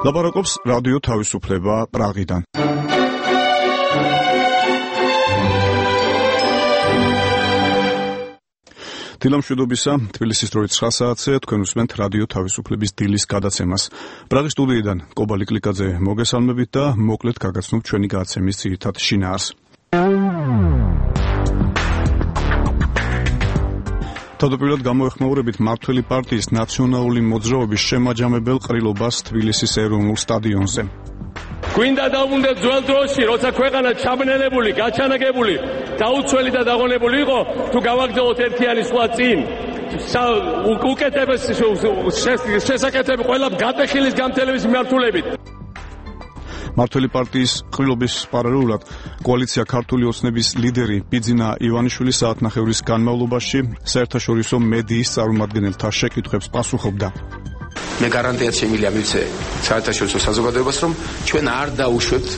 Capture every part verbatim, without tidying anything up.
ლაპარაკობს რადიო თავისუფლება პრაღიდან. დილამშვიდობისა, თბილისის დროით ცხრა საათზე თქვენ უსმენთ რადიო თავისუფლების დილის გადაცემას. პრაღის სტუდიიდან კობალი კლიკაძე მოგესალმებით და მოკლედ გაგაცნობ ჩვენი გადაცემის ძირითად შინაარს. თავდაპირველად გამოეხმაურებით მმართველი პარტიის ნაციონალური მოძრაობის შემაჯამებელ ყრილობას თბილისის ეროვნულ სტადიონზე. გვინდა დავუნდეთ ძველ დროში, როცა ქვეყანა ჩაბნელებული, გაჩანაგებული, დაუცველი და დაღონებული იყო, თუ გავაგზავნოთ ერთიანი სხვა წინ. უკეთებეს შესაკეთები ყველა გატეხილის გამთელების მიმართულებით. მმართველი პარტიის ყრილობის პარალელურად კოალიცია ქართული ოცნების ლიდერი ბიძინა ივანიშვილი საათნახევრის განმავლობაში საერთაშორისო მედიის წარმომადგენელთა შეკითხვებს პასუხობდა. მე გარანტიად შემიძლია მივცე საერთაშორისო საზოგადოებას, რომ ჩვენ არ დაუშვებთ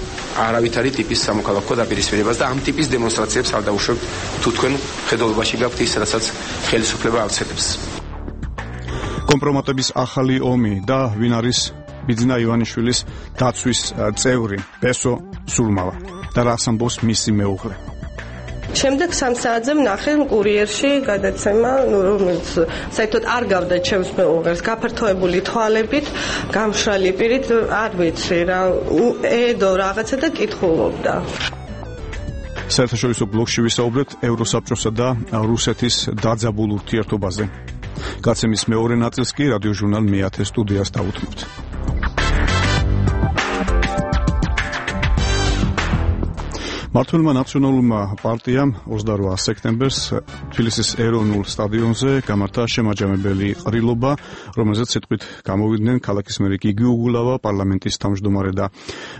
არავითარი ტიპის სამოქალაქო დაპირისპირებას და ამ ტიპის დემონსტრაციებს არ დაუშვებთ, თუ თქვენ ხედულობაში გაქვთ ის, რასაც ხელისუფლება ავრცელებს. კომპრომატების ახალი ომი და ვინ არის ბიძინა ივანიშვილის დაცვის წევრი ბესო სულმავა და რას ამბობს მისი მეუღლე. შემდეგ სამ საათზე ვნახე კურიერში გადაცემა, რომელიც საერთოდ არ გავდა ჩემს მეუღლეს, გაფართოებული თვალებით, გამშრალი პირით, არ ვიცი რა, ედო რაღაცა და კითხულობდა. საერთაშორისო ბლოკში ვისაუბრეთ ევროსაბჭოსა და რუსეთის დაძაბულ ურთიერთობაზე. გადაცემის მეორე ნაწილს კი რადიო ჟურნალ მეათე სტუდიას დავუთმობთ. მმართველმა ნაციონალურმა პარტიამ ოცდარვა სექტემბერს თბილისის ეროვნულ სტადიონზე გამართა შემაჯამებელი ყრილობა, რომელზეც სიტყვით გამოვიდნენ ქალაქის მერი გიგი უგულავა, პარლამენტის თავმჯდომარე და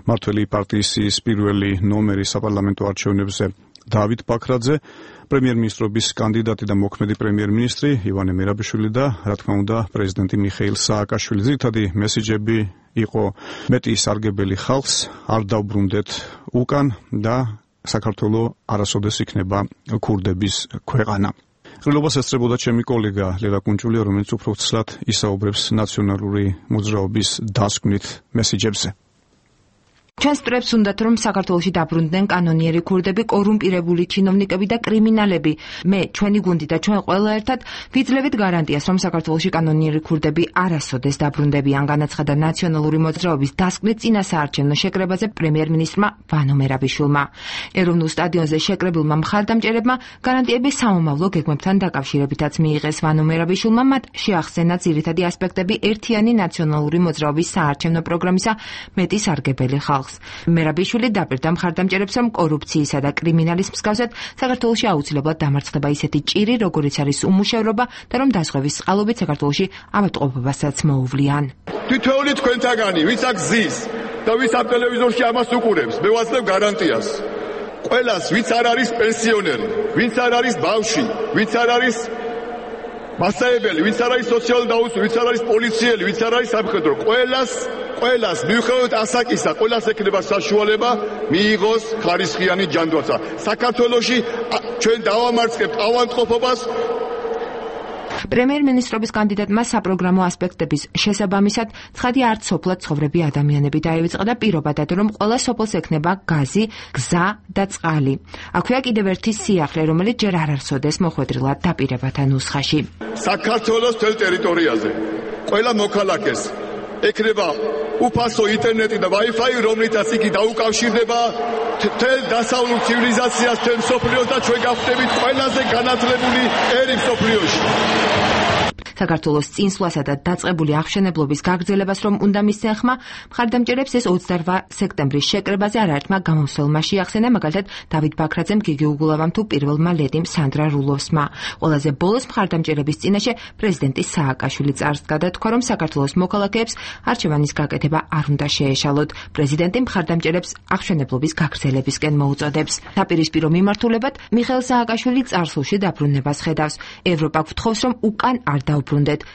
მმართველი პარტიის პირველი ნომერი საპარლამენტო არჩევნებზე დავით ბაქრაძე, პრემიერ-მინისტრობის კანდიდატი და მოქმედი პრემიერ-მინისტრი ივანე მერაბიშვილი და რა თქმა უნდა პრეზიდენტი მიხეილ სააკაშვილი. ძირითადი მესიჯები იყო მეტი სარგებელი ხალხს, არ დავბრუნდეთ უკან და საქართველო არასოდეს იქნება ქურდების ქვეყანა. ყრილობას ესწრებოდა ჩემი კოლეგა ლელა კუნჭულია, რომელიც უფრო ცლად ისაუბრებს ნაციონალური მოძრაობის დასკვნით მესიჯებზე. ჩვენ სწრებს უნდათ, რომ საქართველოში დაბრუნდნენ კანონიერი ქურდები, კორუმპირებული ჩინოვნიკები და კრიმინალები. მე, ჩვენი გუნდი და ჩვენ ყველა ერთად ვიძლევით გარანტიას, რომ საქართველოში კანონიერი ქურდები არასოდეს დაბრუნდებიან, განაცხადა ნაციონალური მოძრაობის დასკვნით წინასაარჩევნო შეკრებაზე პრემიერ-მინისტრმა ვანო მერაბიშვილმა. ეროვნულ სტადიონზე შეკრებილმა მხარდამჭერებმა გარანტიები სამომავლო გეგმებთან დაკავშირებითაც მიიღეს. ვანო მერაბიშვილმა მათ შეახსენა ძირითადი ასპექტები ერთიანი ნაციონალური მოძრაობის საარჩევნო პროგრამისა მეტი სარგებელი ხალხს. მერაბიშვილი დაპირდა მხარდამჭერებს, რომ კორუფციისა და კრიმინალის მსგავსად საქართველოში აუცილებლად დამარცხდება ისეთი ჭირი, როგორიც არის უმუშევრობა და რომ დაზღვევის წყალობით საქართველოში ავადმყოფობასაც მოუვლიან. თითოეული თქვენთაგანი, ვინც აქ ზის და ვინც ამ ტელევიზორში ამას უყურებს, მე ვაძლევ გარანტიას. ყველას, ვინც არ არის პენსიონერი, ვინც არ არის ბავშვი, ვინც არ არის მასწავლებელი, ვინც არ არის სოციალური დაუცველი, ვინც არ არის პოლიციელი, ვინც არ არის სამხედრო, ყველას ყველას მიუხედავად ასაკისა, ყველას ექნება საშუალება მიიღოს ხარისხიანი ჯანდაცვა. საქართველოში ჩვენ დავამარცხებთ ავადმყოფობას. პრემიერ-მინისტრობის კანდიდატმა საპროგრამო ასპექტების შესაბამისად ცხადი არც სოფლად ცხოვრები ადამიანები დაივიწყა და პირობა დადო, რომ ყველა სოფელს ექნება გაზი, გზა და წყალი. აქვეა კიდევ ერთი სიახლე, რომელიც ჯერ არ არსოდეს მოხვედრილად დაპირებათა ნუსხაში. საქართველოს მთელ ტერიტორიაზე ყველა მოქალაქეს ექნება უფასო ინტერნეტი და Wi-Fi, რომლითაც იგი დაუკავშირდება მთელ დასავლურ ცივილიზაციას, მთელ მსოფლიოს და ჩვენ გავხდებით ყველაზე განათლებული ერი მსოფლიოში. საქართველოს წინსვლასა და დაწყებული აღშენებლობის გაგრძელებას რომ უნდა მისცენ ხმა, მხარდამჭერებს ეს ოცდარვა სექტემბრის შეკრებაზე არაერთმა გამოსვლელმა შეახსენა, მაგალითად დავით ბაქრაძემ, გიგი უგულავამ თუ პირველმა ლედიმ სანდრა რულოვსმა. ყველაზე ბოლოს მხარდამჭერების წინაშე პრეზიდენტი სააკაშვილი წარს გადათქვა, რომ საქართველოს მოქალაქეებს არჩევანის გაკეთება არ უნდა შეეშალოთ. პრეზიდენტი მხარდამჭერებს აღშენებლობის გაგრძელებისკენ მოუწოდებს. დაპირისპირო მიმართულებად მიხეილ სააკაშვილი წარსულში დაბრუნებას ხედავს. ევროპა გვთხოვს, რომ უკან არ დაუბრუნდეთ.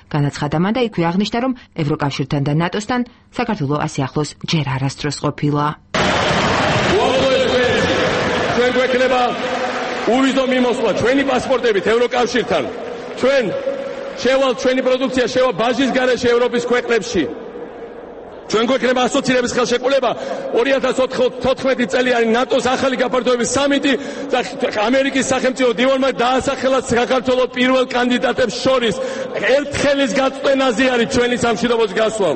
განაცხადა მან და იქვე აღნიშნა, რომ ევროკავშირთან და ნატოსთან საქართველო ასე ახლოს ჯერ არასდროს ყოფილა. ჩვენ გვექნება უვიზო მიმოსვლა ჩვენი პასპორტებით ევროკავშირთან. ჩვენ შევალ ჩვენი პროდუქცია შევა ბაჟის გარეშე ევროპის ქვეყნებში. ჩვენ გვექნება ასოცირების ხელშეკრულება ორი ათას ოთხმეტი წელიანი ნატოს ახალი გაფართოების სამიტი და ამერიკის სახელმწიფო დივანმა დაასახელა საქართველოს პირველ კანდიდატებს შორის ერთხელის გაწვენაზე არის ჩვენი სამშვიდობოს გასვლა.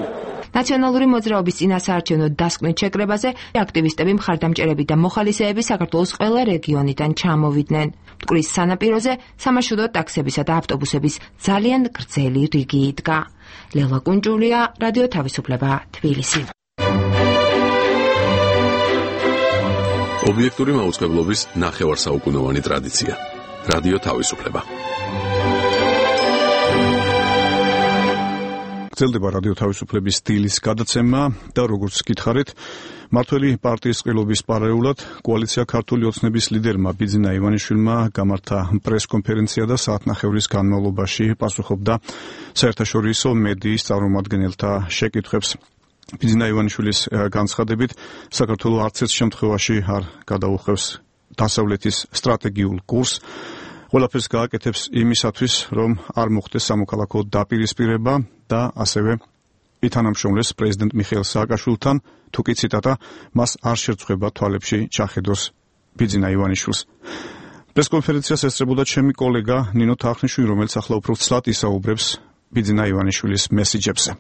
ნაციონალური მოძრაობის წინასაარჩევნო დასკვნით შეკრებაზე აქტივისტები, მხარდამჭერები და მოხალისეები საქართველოს ყველა რეგიონიდან ჩამოვიდნენ. მტკვრის სანაპიროზე სამარშრუტო ტაქსებისა და ავტობუსების ძალიან გრძელი რიგი იდგა. ლელა კუნჭულია, რადიო თავისუფლება, თბილისი. ობიექტური მაუწყებლობის ნახევარსაუკუნოვანი ტრადიცია. რადიო თავისუფლება. გრძელდება რადიო თავისუფლების სტილის გადაცემა და როგორც გითხარით, მართველი პარტიის ყრილობის პარალელურად კოალიცია ქართული ოცნების ლიდერმა ბიძინა ივანიშვილმა გამართა პრესკონფერენცია და საათნახევრის განმავლობაში პასუხობდა საერთაშორისო მედიის წარმომადგენელთა შეკითხვებს. ბიძინა ივანიშვილის განცხადებით, საქართველოს არც ერთ შემთხვევაში არ გადაუხევს დასავლეთის სტრატეგიულ კურსს. ყველაფერს გააკეთებს იმისათვის, რომ არ მოხდეს სამოქალაქო დაპირისპირება და ასევე ითანამშრომლეს პრეზიდენტ მიხეილ სააკაშვილთან, თუკი ციტატა, მას არ შერწყვება თვალებში ჩახედოს ბიძინა ივანიშვილს. პრესკონფერენციას ესწრებოდა ჩემი კოლეგა ნინო თახნიშვილი, რომელიც ახლა უფრო ცლად ისაუბრებს ბიძინა ივანიშვილის მესიჯებზე.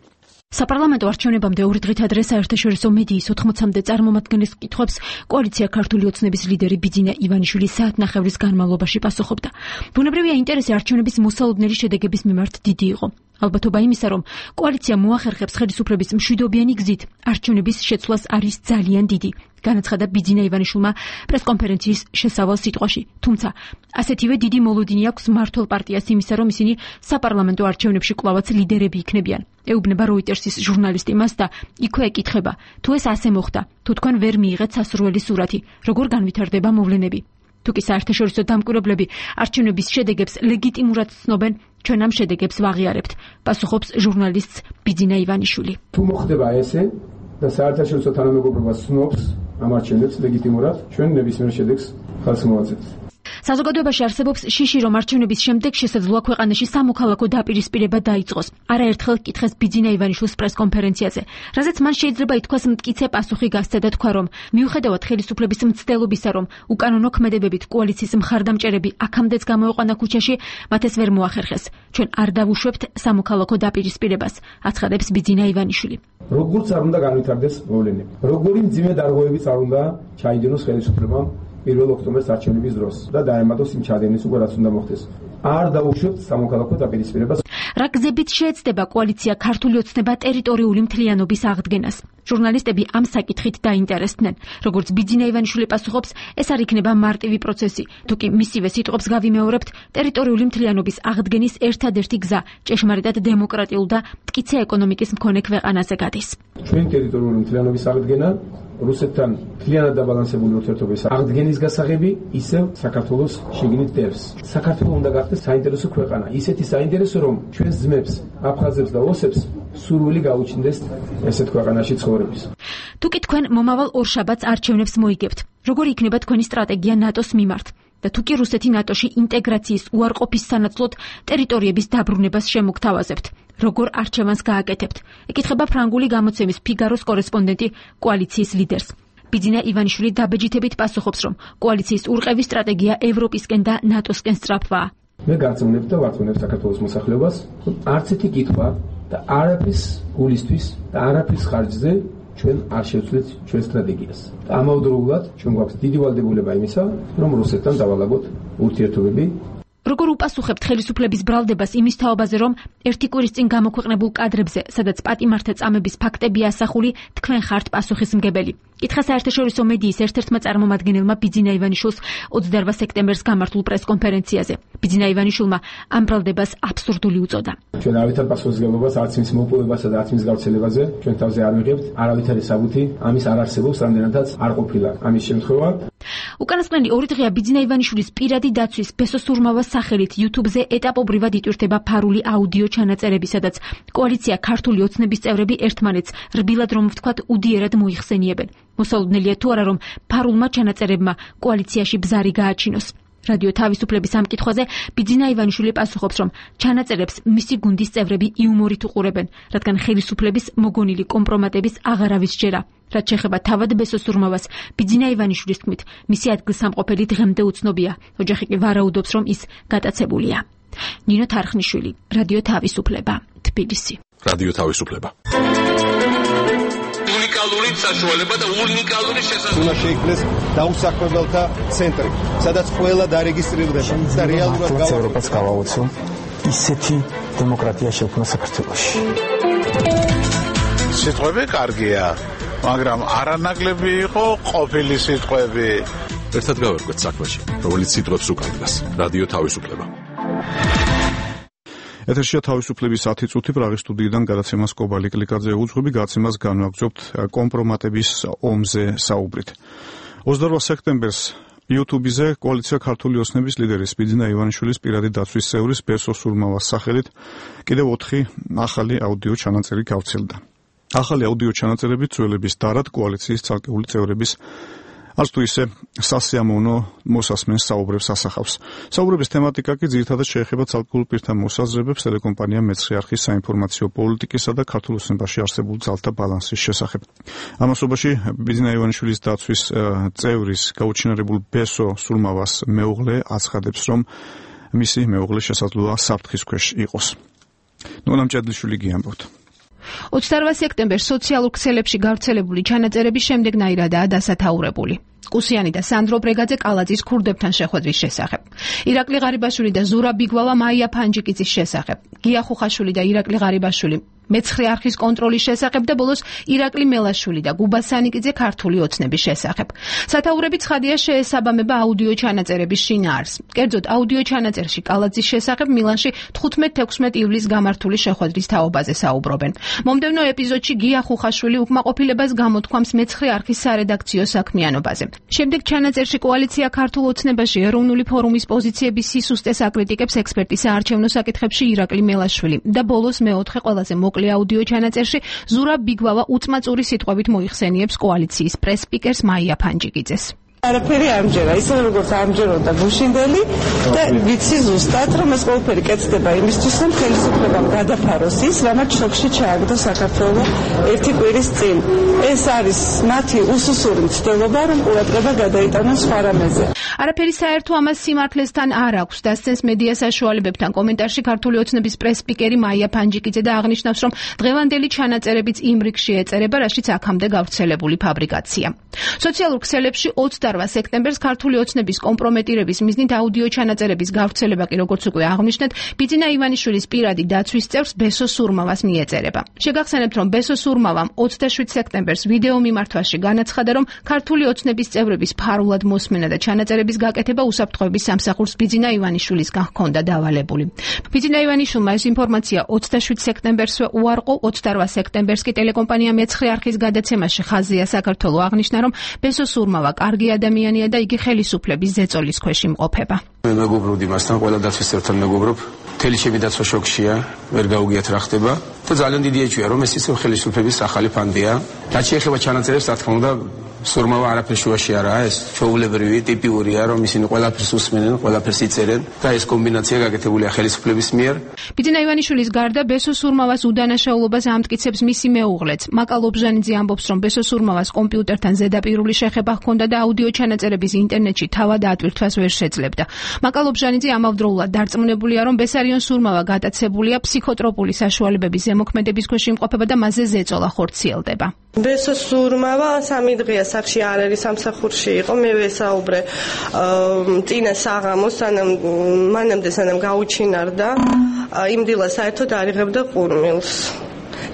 საპარლამენტო არჩევნებამდე ორი დღით ადრე საერთაშორისო მედიის ოთხმოცამდე წარმომადგენლის კითხვებს კოალიცია ქართული ოცნების ლიდერი ბიძინა ივანიშვილი საათნახევრის განმავლობაში პასუხობდა. ბუნებრივია ინტერესი არჩევნების მოსალოდნელი შედეგების მიმართ დიდი იყო. ალბათობა იმისა, რომ კოალიცია მოახერხებს ხელისუფლების მშვიდობიანი გზით არჩევნების შეცვლას არის ძალიან დიდი. განაცხადა ბიძინა ივანიშვილმა პრესკონფერენციის შესავალ სიტყვაში. თუმცა, ასეთივე დიდი მოლოდინი აქვს მმართველ პარტიას იმისა, რომ ისინი საპარლამენტო არჩევნებში კვლავაც ლიდერები იქნებიან. ეუბნება როიტერსის ჟურნალისტი მას და იქვე ეკითხება, თუ ეს ასე მოხდა, თუ თქვენ ვერ მიიღეთ სასურველი სურათი, როგორ განვითარდება მოვლენები. თუკი საერთაშორისო დამკვირვებლები არჩევნების შედეგებს ლეგიტიმურად ცნობენ, ჩვენ ამ შედეგებს ვაღიარებთ, პასუხობს ჟურნალისტს ბიძინა ივანიშვილი. თუ მოხდება ესე და საერთაშორისო თანამეგობრობა ცნობს ამ არჩევნებს ლეგიტიმურად, ჩვენ ნებისმიერ შედეგს ხალხს მოვაწერთ. საზოგადოებაში არსებობს შიში, რომ არჩევნების შემდეგ შესაძლოა ქვეყანაში სამოქალაქო დაპირისპირება დაიწყოს. არაერთხელ კითხეს ბიძინა ივანიშვილს პრესკონფერენციაზე, რაზეც მან შეიძლება ითქვას მტკიცე პასუხი გასცა და თქვა, რომ მიუხედავად ხელისუფლების მცდელობისა, რომ უკანონო ქმედებებით კოალიციის მხარდამჭერები აქამდეც გამოეყვანა ქუჩაში, მათ ეს ვერ მოახერხეს. ჩვენ არ დავუშვებთ სამოქალაქო დაპირისპირებას, აცხადებს ბიძინა ივანიშვილი. როგორც არ უნდა განვითარდეს მოვლენები, როგორი მძიმე დარღვევებიც არ უნდა ჩაიდენოს ხელისუფლებამ პირველ ოქტომბერს არჩევნების დროს და დაემატოს იმ ჩადენის უკვე რაც უნდა მოხდეს. არ დავუშვებთ სამოქალაქო დაპირისპირებას. რა გზებით შეეცდება კოალიცია ქართული ოცნება ტერიტორიული მთლიანობის აღდგენას? ჟურნალისტები ამ საკითხით დაინტერესდნენ. როგორც ბიძინა ივანიშვილი პასუხობს, ეს არ იქნება მარტივი პროცესი. თუკი მისივე სიტყვებს გავიმეორებთ, ტერიტორიული მთლიანობის აღდგენის ერთადერთი გზა ჭეშმარიტად დემოკრატიულ და მტკიცე ეკონომიკის მქონე ქვეყანაზე გადის. ჩვენ ტერიტორიული მთლიანობის აღდგენა რუსეთთან მთლიანად დაბალანსებული ურთიერთობების აღდგენის გასაღები ისევ საქართველოს შიგნით დევს. საქართველოს უნდა გახდეს საინტერესო ქვეყანა, ისეთი საინტერესო, რომ ჩვენს ძმებს, აფხაზებს და ოსებს სურვილი გაუჩნდეს ესეთ ქვეყანაში ცხოვრების. თუკი თქვენ მომავალ ორშაბათს არჩევნებს მოიგებთ, როგორი იქნება თქვენი სტრატეგია ნატოს მიმართ? და თუკი რუსეთი ნატოში ინტეგრაციის უარყოფის სანაცვლოდ ტერიტორიების დაბრუნებას შემოგთავაზებთ, როგორ არჩევანს გააკეთებთ? ეკითხება ფრანგული გამოცემის ფიგაროს კორესპონდენტი კოალიციის ლიდერს. ბიძინა ივანიშვილი დაბეჯითებით პასუხობს, რომ კოალიციის ურყევის სტრატეგია ევროპისკენ და ნატოსკენ სწრაფვაა. მე გარწმუნებ და ვარწმუნებ საქართველოს მოსახლეობას, რომ არც ერთი კითხვა და არაფრის გულისთვის და არაფრის ხარჯზე ჩვენ არ შევცვლით ჩვენ სტრატეგიას. და ამავდროულად ჩვენ გვაქვს დიდი ვალდებულება იმისა, რომ რუსეთთან დავალაგოთ ურთიერთობები. როგორ უპასუხებთ ხელისუფლების ბრალდებას იმის თაობაზე, რომ ერთი კვირის წინ გამოქვეყნებულ კადრებზე, სადაც პატიმართა წამების ფაქტებია ასახული, თქვენ ხართ პასუხისმგებელი? კითხა საერთაშორისო მედიის ერთ-ერთმა წარმომადგენელმა ბიძინა ივანიშვილს ოცდაორ სექტემბერს გამართულ პრესკონფერენციაზე. ბიძინა ივანიშვილმა ამ ბრალდებას აბსურდული უწოდა. ჩვენ არავითარ პასუხისმგებლობას, არც მის მოპოვებასა და არც მის გავრცელებაზე ჩვენ თავზე არ ვიღებთ, არავითარი საბუთი ამის არ არსებობს, რამდენადაც არ ყოფილა ამის შემთხვევა. უკანასკნელი ორი დღეა ბიძინა ივანიშვილის პირადი დაცვის ბესო სურმავას სახელით YouTube-ზე ეტაპობრივად იტვირთება ფარული აუდიო ჩანაწერები, სადაც კოალიცია ქართული ოცნების წევრები ერთმანეთს რბილად რომ ვთქვათ უდიერად მოიხსენიებენ. მოსალოდნელია თუ არა, რომ ფარულმა ჩანაწერებმა კოალიციაში ბზარი გააჩინოს. რადიო თავისუფლების ამ კითხვაზე ბიძინა ივანიშვილი პასუხობს, რომ ჩანაწერებს მისი გუნდის წევრები იუმორით უყურებენ, რადგან ხელისუფლების მოგონილი კომპრომატების აღარავის ჯერა. რაც შეეხება თავად ბესოსურმავას, ბიძინა ივანიშვილის თქმით, მისი ადგილსამყოფელი დღემდე უცნობია. ოჯახი კი ვარაუდობს, რომ ის გატაცებულია. ნინო თარხნიშვილი, რადიო თავისუფლება, თბილისი. რადიო თავისუფლება. უნიკალური საშუალება და უნიკალური შესაძლებლობა. უნდა შეიქმნეს დაუსაქმებელთა ცენტრი, სადაც ყველა დარეგისტრირდება და რეალურად ევროპას გავაოცო ისეთი დემოკრატია შექმნა საქართველოში. სიტყვები კარგია, მაგრამ არანაკლები იყო ყოფილი სიტყვები. ერთად გავერკვეთ საქმეში, რომელიც სიტყვებს უკარგავს. რადიო თავისუფლება. ეთერშია თავისუფლების ათი წუთი პრაღის სტუდიიდან გადაცემას კობალი კლიკაძე უძღვები, გადაცემას განვაგრძობთ კომპრომატების ომზე საუბრით. ოცდაორ სექტემბერს YouTube-ზე კოალიცია ქართული ოცნების ლიდერის ბიძინა ივანიშვილის პირადი დაცვის წევრის ბესო სურმავას სახელით კიდევ ოთხი ახალი აუდიო ჩანაწერი გავრცელდა. ახალი აუდიო ჩანაწერები ძველების დარად კოალიციის ცალკეული წევრების არც თუ ისე სასიამოვნო მოსასმენს საუბრებს ასახავს. საუბრების თემატიკა კი ძირითადად შეეხება ცალკეულ პირთა მოსაზრებებს ტელეკომპანია მეცხრე არხის საინფორმაციო პოლიტიკისა და ქართულ ოცნებაში არსებულ ძალთა ბალანსის შესახებ. ამასობაში ბიძინა ივანიშვილის დაცვის წევრის გაუჩინარებულ ბესო სურმავას მეუღლე აცხადებს, რომ მისი მეუღლე შესაძლოა საფრთხის ქვეშ იყოს. ნონა მჭედლიშვილი გიამბობთ. ოცდაორ სექტემბერს სოციალურ ქსელებში გავრცელებული ჩანაწერები შემდეგნაირადაა დასათაურებული. კუსიანი და სანდრო ბრეგაძე კალაძის ქურდებთან შეხვედრის შესახებ. ირაკლი ღარიბაშვილი და ზურაბ ბიგვავა მაია ფანჯიკიძის შესახებ. გია ხუხაშვილი და ირაკლი ღარიბაშვილი მეცხრე არხის კონტროლის შესახებ და ბოლოს ირაკლი მელაშვილი და გუბა სანიკიძე ქართული ოცნების შესახებ. სათაურები ცხადია შეესაბამება აუდიო ჩანაწერების შინაარსს. კერძოდ აუდიო ჩანაწერში კალაძის შესახებ მილანში თხუთმეტ-თექვსმეტ ივლისს გამართული შეხვედრის თაობაზე საუბრობენ. მომდევნო ეპიზოდში გია ხუხაშვილი უკმაყოფილებას გამოთქვამს მეცხრე არხის სარედაქციო საქმიანობაზე. შემდეგ ჩანაწერში კოალიცია ქართულ ოცნებაში ეროვნული ფორუმის პოზიციების სისუსტეს აკრიტიკებს ექსპერტი საარჩევნო საკითხებში ირაკლი მელაშვილი და ბოლოს მეოთხე ყველაზე მოკლე აუდიო ჩანაწერში ზურაბ ბიგვავა უწმაწური სიტყვებით მოიხსენიებს კოალიციის პრეს-სპიკერს მაია ფანჯიკიძეს. არაფერი ამჯერა, ისე როგორც ამჯეროდა გუშინდელი და ვიცი ზუსტად, რომ ეს ყველაფერი კეთდება იმისთვის, რომ ხელისუფლებამ გადაფაროს ის, რამაც შოკში ჩააგდო საქართველოს ერთი კვირის წინ. ეს არის მათი უსუსური მცდელობა, რომ ყურადღება გადაიტანონ სხვა რამეზე. არაფერი საერთო ამას სიმართლესთან არ აქვს, დასცენს მედია საშუალებებთან კომენტარში ქართული ოცნების პრეს-სპიკერი მაია ფანჯიკიძე და აღნიშნავს, რომ დღევანდელი ჩანაწერებიც იმ რიგში ეწერება, რაშიც აქამდე გავრცელებული ფაბრიკაცია. სოციალურ ქსელებში ოცდაორ სექტემბერს ქართული ოცნების კომპრომეტირების მიზნით აუდიო ჩანაწერების გავრცელება კი როგორც უკვე აღნიშნეთ, ბიძინა ივანიშვილის პირადი დაცვის წევრს ბესო სურმავას მიეწერება. შეგახსენებთ, რომ ბესო სურმავამ ოცდაშვიდ სექტემბერს ვიდეო მიმართვაში განაცხადა, რომ ქართული ოცნების წევრების ფარულად მოსმენა და ჩანაწერების გაკეთება უსაფრთხოების სამსახურს ბიძინა ივანიშვილისგან ჰქონდა დავალებული. ბიძინა ივანიშვილმა ეს ინფორმაცია ოცდაშვიდ სექტემბერსვე უარყო, ოცდაორ სექტემბერს კი ტელეკომპანია მეცხრე არხის გადაცემაში ხაზია საქართველო აღნიშნა, რომ ბესო სურმავა კარგი ადამიანია და იგი ხელისუფლების ზეწოლის ქვეშ იმყოფება. მე მეგობრობ იმასთან, ყველა დაცვის წევრთან მეგობრობ, მთელი ჩემი დაცვა შოქშია, ვერ გაუგიათ რა ხდება და ძალიან დიდი ეჭვია, რომ ეს ისევ ხელისუფლების ახალი ფანდია. რაც შეეხება ჩანაწერებს, რა თქმა უნდა, სურმავა არაფერ შუაში არაა, ეს ჩვეულებრივი, ტიპიურია, რომ ისინი ყველაფერს უსმენენ, ყველაფერს იწერენ და ეს კომბინაცია გაკეთებულია ხელისუფლების მიერ. ბიძინა ივანიშვილის გარდა ბესო სურმავას უდანაშაულობას ამტკიცებს მისი მეუღლეც. მაკა ლობჟანიძე ამბობს, რომ ბესო სურმავას კომპიუტერთან ზედაპირული შეხება ჰქონდა და აუდიო ჩანაწერების ინტერნეტში თავად ატვირთვას ვერ შეძლებდა. მაკა ლობჟანიძე ამავდროულად დარწმუნებულია, რომ ბესარიონ სურმავა გატაცებულია ფსიქოტროპული საშუალებების ზემოქმედების ქვეშ იმყოფება და მასზე ზეწოლა ხორციელდება. ბესო სურმავა სამი დღეა სახში არ არის, სამსახურში იყო. მე ვესაუბრე წინა საღამოს, სანამ მანამდე სანამ გაუჩინარდა, იმდილა საერთოდ არიღებდა ყურმილს.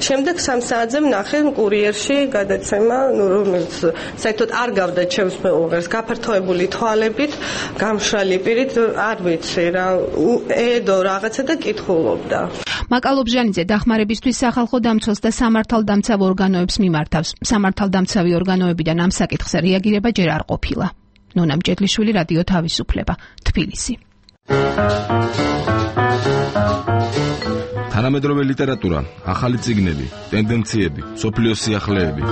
შემდეგ სამ საათზე ვნახე კურიერში გადაცემა, ნუ რომელიც საერთოდ არ გავდა ჩემს მეუღლეს, გაფართოებული თვალებით, გამშრალი პირით, არ ვიცი რა, ედო რაღაცა და კითხულობდა. მაკა ლობჟანიძე დახმარებისთვის სახალხო დამცველს და სამართალდამცავ ორგანოებს მიმართავს. სამართალდამცავი ორგანოებიდან ამ საკითხზე რეაგირება ჯერ არ ყოფილა. ნონა მჭედლიშვილი, რადიო თავისუფლება, თბილისი. თანამედროვე ლიტერატურა, ახალი წიგნები, ტენდენციები, სოფლიოს სიახლეები.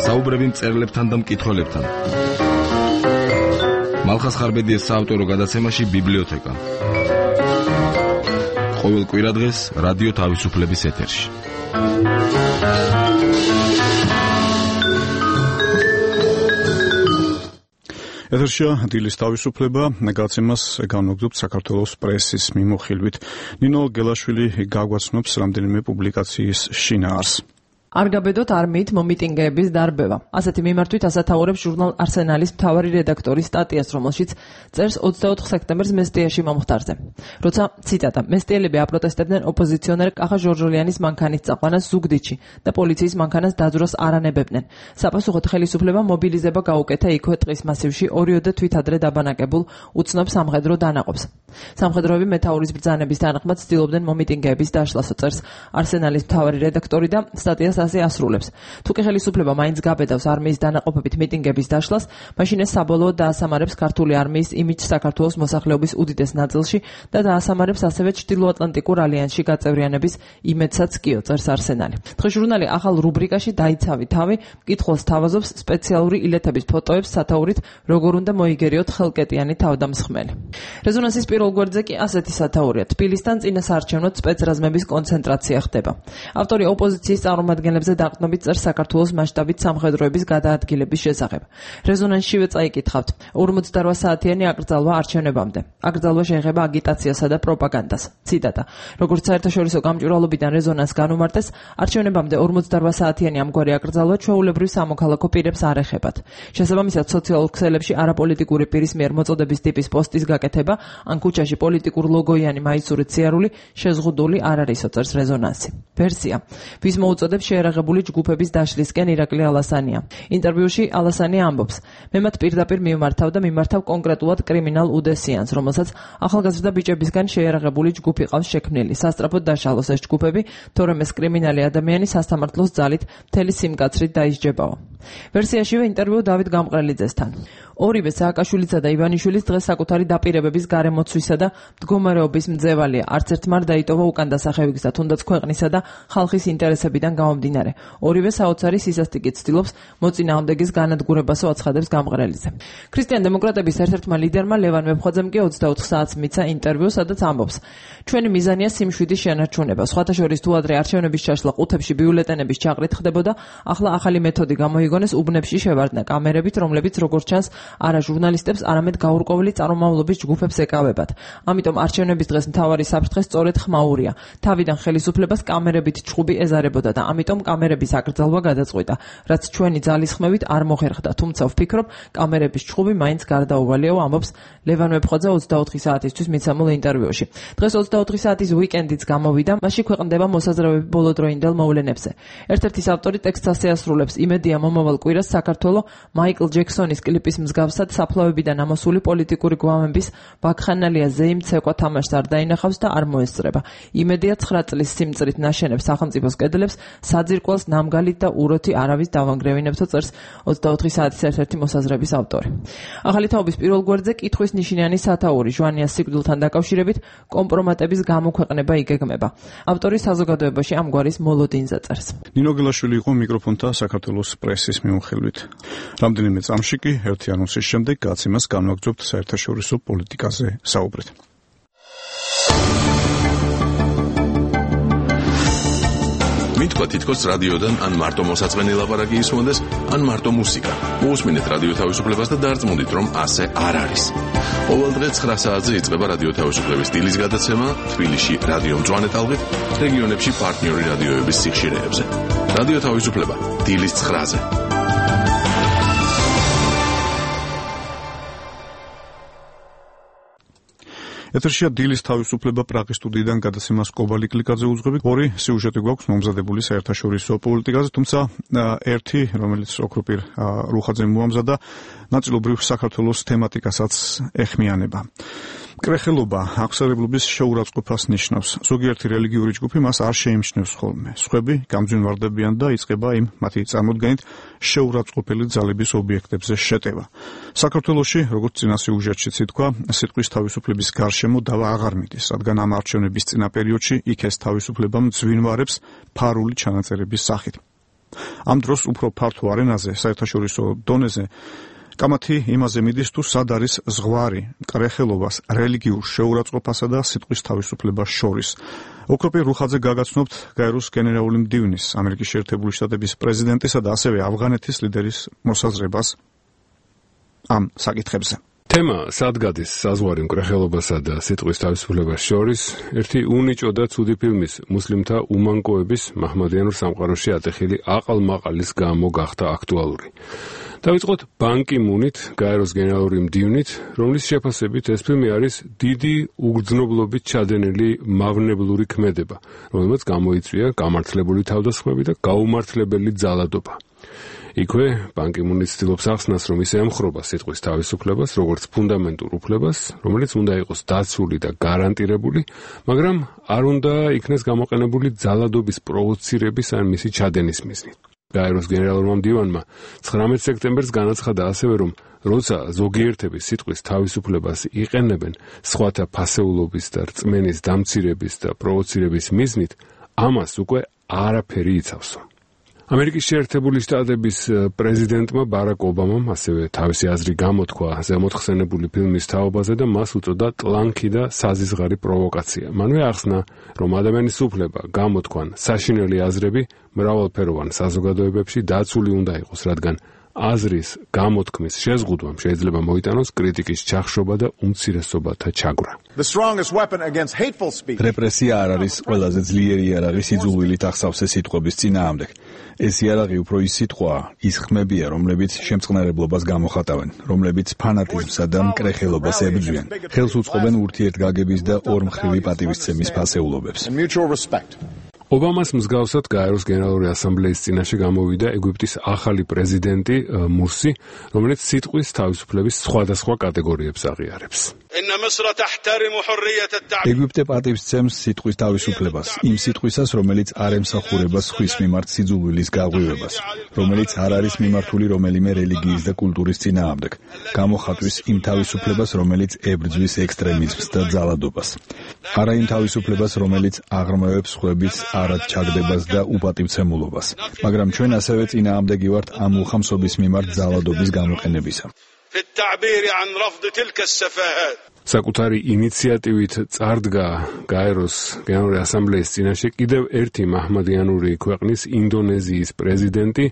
საუბრები მწერლებთან და მკითხველებთან. ალხას ხარბედიეს საავტორო გადაცემაში ბიბლიოთეკა. ყოველ კვირადღეს რადიო თავისუფლების ეთერში. ეთერშია დილის თავისუფლება, გადაცემას განვაგრძობთ საქართველოს პრესის მიმოხილვით. ნინო გელაშვილი გაგვაცნობს რამდენიმე პუბლიკაციის შინაარსს. არ გაბედოთ არმიით მომიტინგეების დარბევა. ასეთი მიმართვით ასათაურებს ჟურნალ არსენალის მთავარი რედაქტორის სტატიას, რომელშიც წერს ოცდაოთხ სექტემბერს მესტიაში მომხდარზე. როცა ციტატა მესტიელები აპროტესტებდნენ ოპოზიციონერ კახა ჟორჟოლიანის მანქანის წაყვანას ზუგდიდში და პოლიციის მანქანას დაძვრას არ ანებებდნენ. საპასუხოდ ხელისუფლება მობილიზება გაუკეთა იქვე ტყის მასივში ორიოდე თვით ადრე დაბანაკებულ უცნობ სამხედრო დანაყოფს. სამხედროები მეთაურის ბრძანების თანახმად ცდილობდნენ მომიტინგეების დაშლას, წერს არსენალის მთავარი რედაქტორი და სტატიას ასე ასრულებს. თუ კი ხელისუფლება მაინც გაბედავს არმიის დანაყოფებით მიტინგების დაშლას, მაშინ ეს საბოლოოდ დაასამარებს ქართული არმიის იმიჯს საქართველოს მოსახლეობის უდიდეს ნაწილში და დაასამარებს ასევე ჩრდილოატლანტიკურ ალიანსში გაწევრიანების იმედსაც კიო, წერს არსენალი. დღეს ჟურნალი ახალ რუბრიკაში დაიცავი თავი მკითხველს თავაზობს სპეციალური ილეთების ფოტოებს სათაურით როგორ უნდა მოიგერიოთ ხელკეტიანი თავდამსხმელი. რეზონანსის პირველ გვერდზე კი ასეთი სათაურია: თბილისთან წინასაარჩევნო სპეცრაზმების კონცენტრაცია ხდება. ავტორი ოპოზიციის წარმომადგენლებს ზე დაყრდნობით წერს საქართველოს მასშტაბით სამხედროების გადაადგილების შესახებ. რეზონანსშივე წაიკითხავთ: ორმოცდაოთხ საათიანი აკრძალვა არჩევნებამდე. აკრძალვა შეეხება აგიტაციასა და პროპაგანდას. ციტატა: როგორც საერთაშორისო გამჭვირვალობიდან რეზონანს განუმარტეს, არჩევნებამდე ორმოცდაოთხ საათიანი ამგვარი აკრძალვა ჩვეულებრივ სამოქალაქო პირებს არ ეხებათ. შესაბამისად, სოციალურ ქსელებში არაპოლიტიკური პირის მიერ მოწოდების ტიპის პოსტის გაკეთება ან ქუჩაში პოლიტიკურ ლოგოიანი მაისურით სიარული შეზღუდული არ არისო, წერს რეზონანსი. ვერსია: ვის მოუწოდებს შეერაღებული ჯგუფების დაშლისკენ ირაკლი ალასანია. ინტერვიუში ალასანია ამბობს: მე მათ პირდაპირ მიმართავ და მიმართავ კონკრეტულად კრიმინალ უდესიანს, რომელსაც ახალგაზრდა ბიჭებისგან შეერაღებული ჯგუფი ყავს შექმნილი. სასწრაფოდ დაშალოს ეს ჯგუფები, თორემ ეს კრიმინალი ადამიანი სასამართლოს ძალით მთელი სიმკაცრით დაისჯებაო. ვერსიაშივე ინტერვიუ დავით გამყრელიძესთან. ორივე სააკაშვილისა და ივანიშვილის დღეს საკუთარი დაპირებების გარემოცვისა და მდგომარეობის მძევალია. არც ერთმა არ დაიტოვა უკან დასახევისა, თუნდაც ქვეყნისა და ხალხის ინტერესებიდან გამომდინარე. ორივე საოცარი სისასტიკით ცდილობს მოწინააღმდეგის განადგურებასო, აცხადებს გამყრელიძე. ქრისტიან-დემოკრატების ერთ-ერთმა ლიდერმა ლევან მებხვაძემ კი ოცდაოთხ საათს მიცა ინტერვიუ, სადაც ამბობს: ჩვენი მიზანია სიმშვიდის შენარჩუნება. სხვათა შორის თუ ადრე არჩევნების ჩაშლა ყუთებში ბიულეტენების ჩაღრით ხდებოდა, ახლა ახალი მეთოდი გამოიგონეს უბნებში შევარდნა კამერებით, რომლებიც როგორც ჩანს არა ჟურნალისტებს, არამედ გაურკვეველი წარმომავლობის ჯგუფებს ეკავებათ. ამიტომ არჩევნების დღეს მთავარი საფრთხე სწორედ ხმაურია. თავიდან ხელისუფლებას კამერებით ჩხუბი ეზარებოდა და ამიტომ კამერების აკრძალვა გადაწყვიტა, რაც ჩვენი ძალისხმევით არ მოხერხდა. თუმცა ვფიქრობ, კამერების ჩხუბი მაინც გარდაუვალიაო, ამბობს ლევან მებხვაძე ოცდაოთხი საათისთვის მიცემულ ინტერვიუში. დღეს ოცდაოთხი საათის უიკენდიც გამოვიდა, მასში ქვეყნდება მოსაზრებები ბოლოდროინდელ მოვლენებზე. ერთ-ერთის ავტორი ტექსტს ასე ასრულებს: იმედია მომავალ კვირას საქართველო მაიკლ ჯექსონის კლიპის მსგავსად საფლავებიდან ამოსული პოლიტიკური გვამების ვაკხანალია ზეიმ ცეკვა თამაშს არ დაინახავს და არ მოესწრება. იმედია ცხრა წლის სიმწრით ნაშენებს სახელმწიფოს კედლებს საძირკველს ნამგალით და უროთი არავის დავანგრევინებთო, წერს ოცდაოთხი საათის ერთ-ერთი მოსაზრების ავტორი. ახალი თაობის პირველ გვერდზე კითხვის ნიშნიანი სათაური ჟვანიას სიკვდილთან დაკავშირებით კომპრომატების გამოქვეყნება იგეგმება. ავტორი საზოგადოებაში ამგვარის მოლოდინზე წერს. ნინო გელაშვილი იყო მიკროფონთა საქართველოს პრესის მიმოხილვით. რამდენიმე წამში კი ერთი ანონსის შემდეგ გაცემას განვაგრძობთ საერთაშორისო პოლიტიკაზე საუბრით. მითქვა თითქოს რადიოდან ან მარტო მოსაწვენი ლაპარაკი ისმოდეს, ან მარტო მუსიკა. მოусმინეთ რადიო თავისუფლებას და დარწმუნდით, რომ ასე არ არის. ყოველ დღე ცხრა საათზე იწყება რადიო თავისუფლების დილის გადაცემა თბილისში რადიო მწვანე ტალღით, რეგიონებში პარტნიორი რადიოების სიხშირეებზე. რადიო თავისუფლება დილის ცხრაზე. ეთერშია დილის თავისუფლება პრაღის სტუდიიდან გადაცემას კობალი კლიკაძე უძღვებით. ორი სიუჟეტი გვაქვს მომზადებული საერთაშორისო პოლიტიკაზე, თუმცა ერთი, რომელიც ოქროპირ რუხაძემ მოამზადა, ნაწილობრივ საქართველოს თემატიკასაც ეხმიანება. კრეხელობა აღსარებლობის შეურაცხყოფას ნიშნავს. ზოგიერთი რელიგიური ჯგუფი მას არ შეიმჩნევს ხოლმე. სხვები გამძვინვარდებიან და იწყება იმ მათი წარმოდგენით შეურაცხყოფელი ძალების ობიექტებზე შეტევა. საქართველოში, როგორც წინა სიუჟეტშიც ითქვა, სიტყვის თავისუფლების გარშემო დავა აღარ მიდის, რადგან ამ არჩევნების წინა პერიოდში იქ ეს თავისუფლება მძვინვარებს ფარული ჩანაწერების სახით. ამ დროს უფრო ფართო არენაზე, საერთაშორისო დონეზე კამათი იმაზე მიდის, თუ სად არის ზღვარი მკრეხელობას, რელიგიურ შეურაცხყოფასა და სიტყვის თავისუფლებას შორის. ოქროპირ რუხაძე გაგაცნობთ გაეროს გენერალური მდივნის, ამერიკის შეერთებული შტატების პრეზიდენტისა და ასევე ავღანეთის ლიდერის მოსაზრებას ამ საკითხებზე. თემა სად გადის საზღვარი მკრეხელობასა და სიტყვის თავისუფლებას შორის ერთი უნიჭო და ცუდი ფილმის მუსლიმთა უმანკოების მაჰმადიანურ სამყაროში ატეხილი აყალ-მაყალის გამო გახდა აქტუალური. დავიწყოთ ბან კი მუნით, გაეროს გენერალური მდივნით, რომლის შეფასებით ეს ფილმი არის დიდი უგრძნობლობით ჩადენილი მავნებლური ქმედება, რომელმაც გამოიწვია გამართლებული თავდასხმები და გაუმართლებელი ძალადობა. იქვე ბან კი მუნი ცდილობს ახსნას, რომ ის ემხრობა სიტყვის თავისუფლებას, როგორც ფუნდამენტურ უფლებას, რომელიც უნდა იყოს დაცული და გარანტირებული, მაგრამ არ უნდა იქნეს გამოყენებული ძალადობის პროვოცირების ან მისი ჩადენის მიზნით. გაეროს გენერალურმა მდივანმა ცხრამეტ სექტემბერს განაცხადა ასევე, რომ როცა ზოგიერთები სიტყვის თავისუფლებას იყენებენ სხვათა ფასეულობის და რწმენის დამცირების და პროვოცირების მიზნით, ამას უკვე არაფერი იცავსო. ამერიკის შეერთებული შტატების პრეზიდენტმა ბარაკ ობამამ ასევე თავისი აზრი გამოთქვა ზემოთხსენებული ფილმის თაობაზე და მას უწოდა ტლანქი და საზიზღარი პროვოკაცია. მანვე ახსნა, რომ ადამიანის უფლება გამოთქვან საშინელი აზრები მრავალფეროვან საზოგადოებებში დაცული უნდა იყოს, რადგან აზრის გამოთქმის შეზღუდვამ შეიძლება მოიტანოს კრიტიკის ჩახშობა და უმცირესობათა ჩაგვრა. რეპრესია არ არის ყველაზე ძლიერი იარაღი სიძულვილით ახსავსე სიტყვების წინააღმდეგ. ეს იარაღი უფრო ის სიტყვაა, ის ხმებია, რომლებიც შემწყნარებლობას გამოხატავენ, რომლებიც ფანატიზმსა და მკრეხელობას ებრძვიან, ხელს უწყობენ ურთიერთგაგების და ორმხრივი პატივისცემის ფასეულობებს. ობამას მსგავსად გაეროს გენერალური ასამბლეის წინაშე გამოვიდა ეგვიპტის ახალი პრეზიდენტი მურსი, რომელიც სიტყვის თავისუფლების სხვადასხვა კატეგორიებს აღიარებს. ეგვიპტე პატივისცემს სიტყვის თავისუფლებას, იმ სიტყვისას, რომელიც არ ემსახურება სხვის მიმართ სიძულვილის გაღვივებას, რომელიც არ არის მიმართული რომელიმე რელიგიის და კულტურის წინააღმდეგ, გამოხატვის იმ თავისუფლებას, რომელიც ებრძვის ექსტრემიზმს და ძალადობას. არა იმ თავისუფლებას, რომელიც აღრმავებს სხვების არად ჩაგდებას და უპატივცემულობას, მაგრამ ჩვენ ასევე წინააღმდეგი ვართ ამ უხამსობის მიმართ ძალადობის გამოყენებისა. საკუთარი ინიციატივით წარდგა გაეროს გენერალური ასამბლეის წინაშე კიდევ ერთი მაჰმადიანური ქვეყნის ინდონეზიის პრეზიდენტი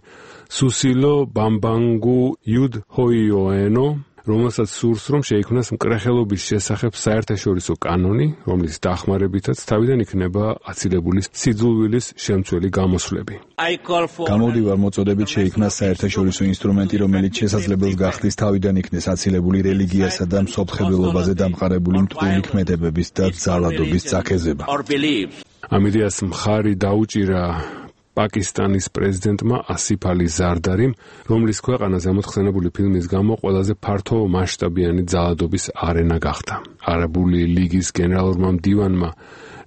სუსილო ბამბანგუ იუდჰოიოენო, რომელსაც სურს, რომ შეიქმნას მკრეხელობის შესახებ საერთაშორისო კანონი, რომლის დახმარებითაც თავიდან იქნება აცილებული სიძულვილის შემცველი გამოსვლები. გამოვდივარ მოწოდებით შეიქმნას საერთაშორისო ინსტრუმენტი, რომელიც შესაძლებელს გახდის თავიდან იქნეს აცილებული რელიგიასა და მსოფლმხედველობაზე დამყარებული მტვრული ქმედებების და ძალადობის წაქეზება. ამ იდეას მხარი დაუჭირა პაკისტანის პრეზიდენტმა ასიფ ალი ზარდარიმ, რომლის ქვეყანა ზემოთხსენებული ფილმის გამო ყველაზე ფართო მასშტაბიანი ძალადობის არენა გახდა. არაბული ლიგის გენერალურმა მდივანმა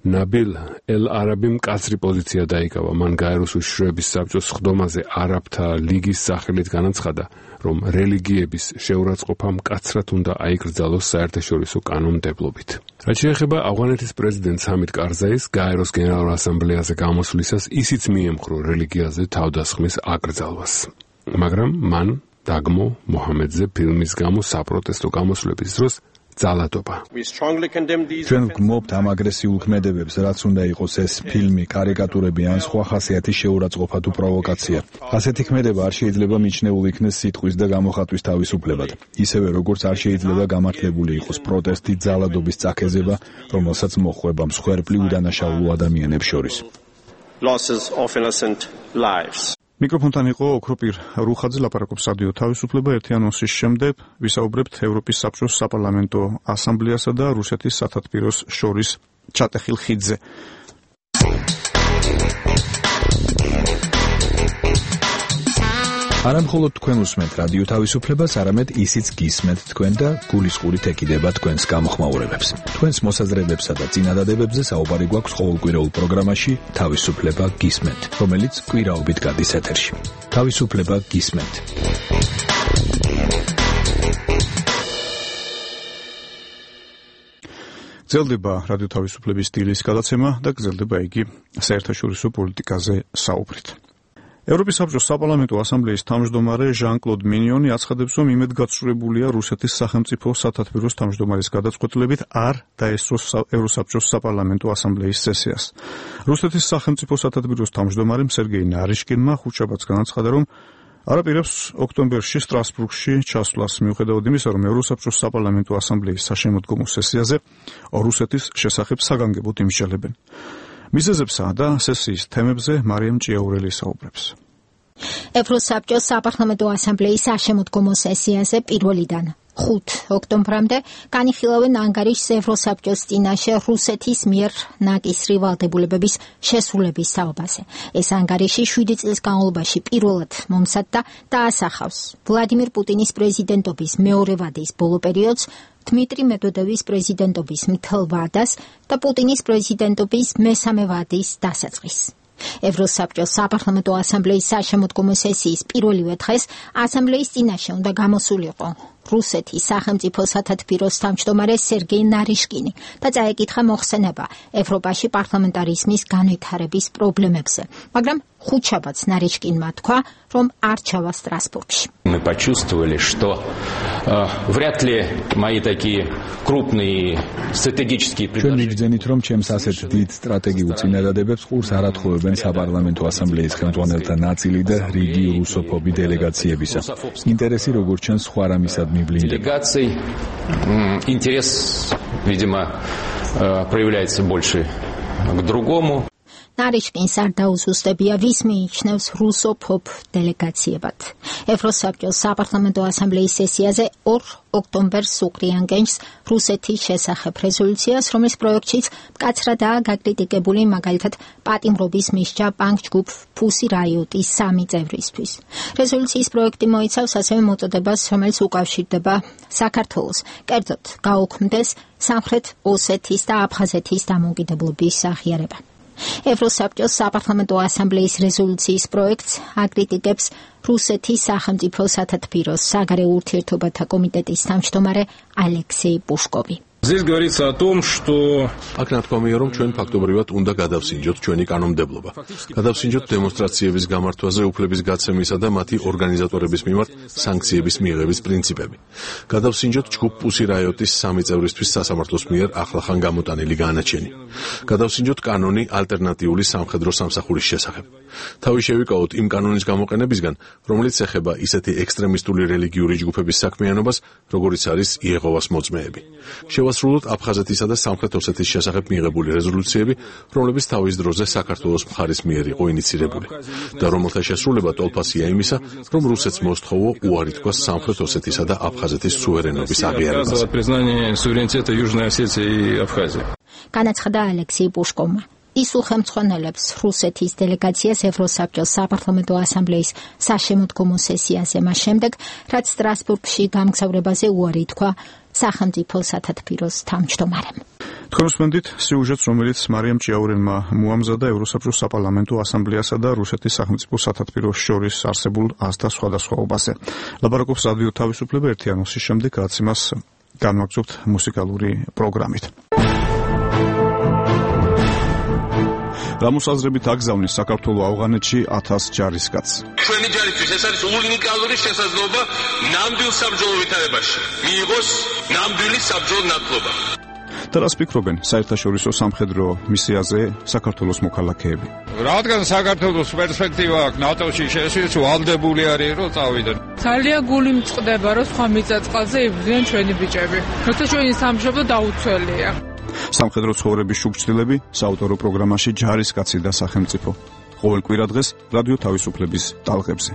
ნაბილ ელ-არაბი მკაცრი პოზიცია დაიკავა. მან გაეროს უშიშროების საბჭოს სხდომაზე არაბთა ლიგის სახელით განაცხადა, რომ რელიგიების შეურაცხყოფა მკაცრად უნდა აიკრძალოს საერთაშორისო კანონმდებლობით. რაც შეეხება ავღანეთის პრეზიდენტ სამით კარზაის გაეროს გენერალურ ასამბლეაზე გამოსვლისას, ისიც მიემხრო რელიგიაზე თავდასხმის აკრძალვას. მაგრამ მან დაგმო მოჰამედზე ფილმის გამო საპროტესტო გამოსვლების დროს ძალადობა. ჩვენ ვგმობთ ამ აგრესიულ ქმედებებს, რაც უნდა იყოს ეს ფილმი, კარიკატურები ან სხვა ხასიათის შეურაცხყოფა თუ პროვოკაცია. ასეთი ქმედება არ შეიძლება მიჩნეული იქნეს სიტყვის და გამოხატვის თავისუფლებად. ისევე როგორც არ შეიძლება გამართლებული იყოს პროტესტი, ძალადობის წაქეზება, რომელსაც მოჰყვება მსხვერპლი უდანაშაულო ადამიანებს შორის. მიკროფონთან იყო ოქროპირ რუხაძე, ლაპარაკობს რადიო თავისუფლება. ერთი ანონსის შემდეგ ვისაუბრებთ ევროპის საბჭოს საპარლამენტო ასამბლეასა და რუსეთის სათათბიროს შორის ჩატეხილ ხიდზე. არა მხოლოდ თქვენ უსმენთ რადიო თავისუფლებას, არამედ ისიც გისმენთ თქვენ და გულისყურით ეკიდება თქვენს გამოხმაურებებს. თქვენს მოსაზრებებსა და წინადადებებზე საუბარი გვაქვს ყოველკვირეულ პროგრამაში თავისუფლება გისმენთ, რომელიც კვირაობით გადის ეთერში. თავისუფლება გისმენთ. გრძელდება რადიო თავისუფლების დილის გადაცემა და გრძელდება იგი საერთაშორისო პოლიტიკაზე საუბრით. ევროპის საბჭოს საპარლამენტო ასამბლეის თავმჯდომარე ჟან-კლოდ მინიონი აცხადებს, რომ იმედგაცრუებულია რუსეთის სახელმწიფო სათათბიროს თავმჯდომარის გადაწყვეტილებით არ დაესწროს ევროსაბჭოს საპარლამენტო ასამბლეის სესიას. რუსეთის სახელმწიფო სათათბიროს თავმჯდომარემ სერგეი ნარიშკინმა ხუთშაბათს განაცხადა, რომ არაპირებს ოქტომბერში სტრასბურგში ჩასვლას, მიუხედავად იმისა, რომ ევროსაბჭოს საპარლამენტო ასამბლეის საშემოდგომო სესიაზე რუსეთის შესახებ საგანგებოდ იმსჯელებენ. მიზეზებსა და სესიის თემებზე მარიამ ჭიაურელი საუბრებს. ევროსაბჭოს საპარლამენტო ასამბლეის საშემოდგომო სესიაზე პირველიდან ხუთ ოქტომბრამდე განიხილავენ ანგარიშს ევროსაბჭოს წინაშე რუსეთის მიერ ნაკისრი ვალდებულებების შესრულების საუბარზე. ეს ანგარიში შვიდი წლის განმავლობაში პირველად მომსადდა და ასახავს ვლადიმირ პუტინის პრეზიდენტობის მეორე ვადის ბოლო პერიოდს, დმიტრი მედვედევის პრეზიდენტობის მთელ ვადას და პუტინის პრეზიდენტობის მესამე ვადის დასაწყისს. ევროსაბჭოს საპარლამენტო ასამბლეის საშემოდგომო სესიის პირველივე დღეს ასამბლეის წინაშე უნდა გამოსულიყო რუსეთის სახელმწიფო სათათბიროს თავმჯდომარე სერგეი ნარიშკინი და წაეკითხა მოხსენება ევროპაში პარლამენტარიზმის განვითარების პრობლემებზე, მაგრამ ხუთშაბათს ნარიშკინმა თქვა, რომ არ ჩავა სტრასბურგში. Мы почувствовали, что э, вряд ли мои такие крупные стратегические ჩვენ მიგძენით, რომ ჩემს ასეთ დიდ სტრატეგიულ წინადადებებს ყურს არ ათხოვებენ საპარლამენტო ასამბლეის ხელმძღვანელთა ნაწილი და რიგი რუსოფობი დელეგაციებისა. ინტერესი როგორც ჩანს სხვა რამისად მივლინდება. Делегаций интерес, видимо, проявляется больше к другому. ნარიშკინს არ დაუზუსტებია, ვის მიიჩნევს რუსოფობ დელეგაციებად. ევროსაბჭოს საპარლამენტო ასამბლეის სესიაზე ორ ოქტომბერს უკრიანგენს რუსეთის შესახებ რეზოლუციას, რომლის პროექტშიც მკაცრადაა გაკრიტიკებული მაგალითად პატიმრობის მისჯა ბანკ-ჯგუფ ფუსი რაიოტის სამი წევრისთვის. რეზოლუციის პროექტი მოიცავს ასევე მოწოდებას, რომელიც უკავშირდება საქართველოს, კერძოდ გაუქმდეს სამხრეთ ოსეთის და აფხაზეთის დამოუკიდებლობის აღიარება. ევროსაბჭოს საპარლამენტო ასამბლეის რეზოლუციის პროექტს აკრიტიკებს რუსეთის სახელმწიფო სათათბიროს საგარეო ურთიერთობათა კომიტეტის თავმჯდომარე ალექსეი პუშკოვი. Здесь говорится о том, что აქ ნათქვამია, რომ ჩვენ ფაქტობრივად უნდა გადავსინჯოთ ჩვენი კანონმდებლობა. გადავსინჯოთ დემონსტრაციების გამართვაზე უფლების გაცემისა და მათი ორგანიზატორების მიმართ სანქციების მიღების პრინციპები. გადავსინჯოთ ჯგუფ პუსი რაიოტის სამი წევრისთვის სასამართლოს მიერ ახლახან გამოტანილი განაჩენი. გადავსინჯოთ კანონი ალტერნატიული სამხედრო სამსახურის შესახებ. თავი შევიკავოთ იმ კანონის გამოყენებისგან, რომელიც ეხება ისეთი ექსტრემისტული რელიგიური ჯგუფების საქმიანობას, როგორიც არის იეჰოვას მოწმეები. შევასრულოთ აფხაზეთისა და სამხრეთ ოსეთის შესახებ მიღებული რეზოლუციები, რომლებიც თავის დროზე საქართველოს მხარის მიერ იყო ინიცირებული და რომელთა შესრულება ტოლფასია იმისა, რომ რუსეთს მოსთხოვო უარი თქვას სამხრეთ ოსეთისა და აფხაზეთის სუვერენობის აღიარებაზე. განაცხადა ალექსეი პუშკოვმა. ის უხელმძღვანელებს რუსეთის დელეგაციას ევროსაბჭოს საპარლამენტო ასამბლეის საშემოდგომო სესიაზე მას შემდეგ, რაც სტრასბურგში გამგზავრებაზე უარი თქვა სახელმწიფო სათათბიროს თავმჯდომარემ. თქვენ უსმენთ სიუჟეტს, რომელიც მარიამ ჭიაურელმა მოამზადა ევროსაბჭოს საპარლამენტო ასამბლეასა და რუსეთის სახელმწიფო სათათბიროს შორის არსებულ აზრთა სხვადასხვაობაზე. ლაპარაკობს რადიო თავისუფლება ერთი ანონსის შემდეგ, რაც იმას განვაგრძობთ მუსიკალური პროგრამით. რამოსაზრებით აგზავნის საქართველოს ავღანეთში ათას ჯარისკაცს. ჩვენი ჯარისთვის ეს არის უნიკალური შესაძლებლობა ნამდვილ საბრძოლო ვითარებაში მიიღოს ნამდვილი საბრძოლო ნათლობა. და რას ფიქრობენ საერთაშორისო სამხედრო მისიაზე საქართველოს მოქალაქეები? რადგან საქართველოს პერსპექტივა აქვს ნატოში შესვლის, ვალდებული არის რომ წავიდნენ. ძალიან გული მწყდება რომ სხვა მიწა-წყალზე იბრძვიან ჩვენი ბიჭები. როცა ჩვენი სამშობლო დაუცველია. სამხედრო ცხოვრების შუქჩილები საავტორო პროგრამაში ჯარისკაცი და სახელმწიფო. ყოველ კვირა დღეს რადიო თავისუფლების ტალღებზე.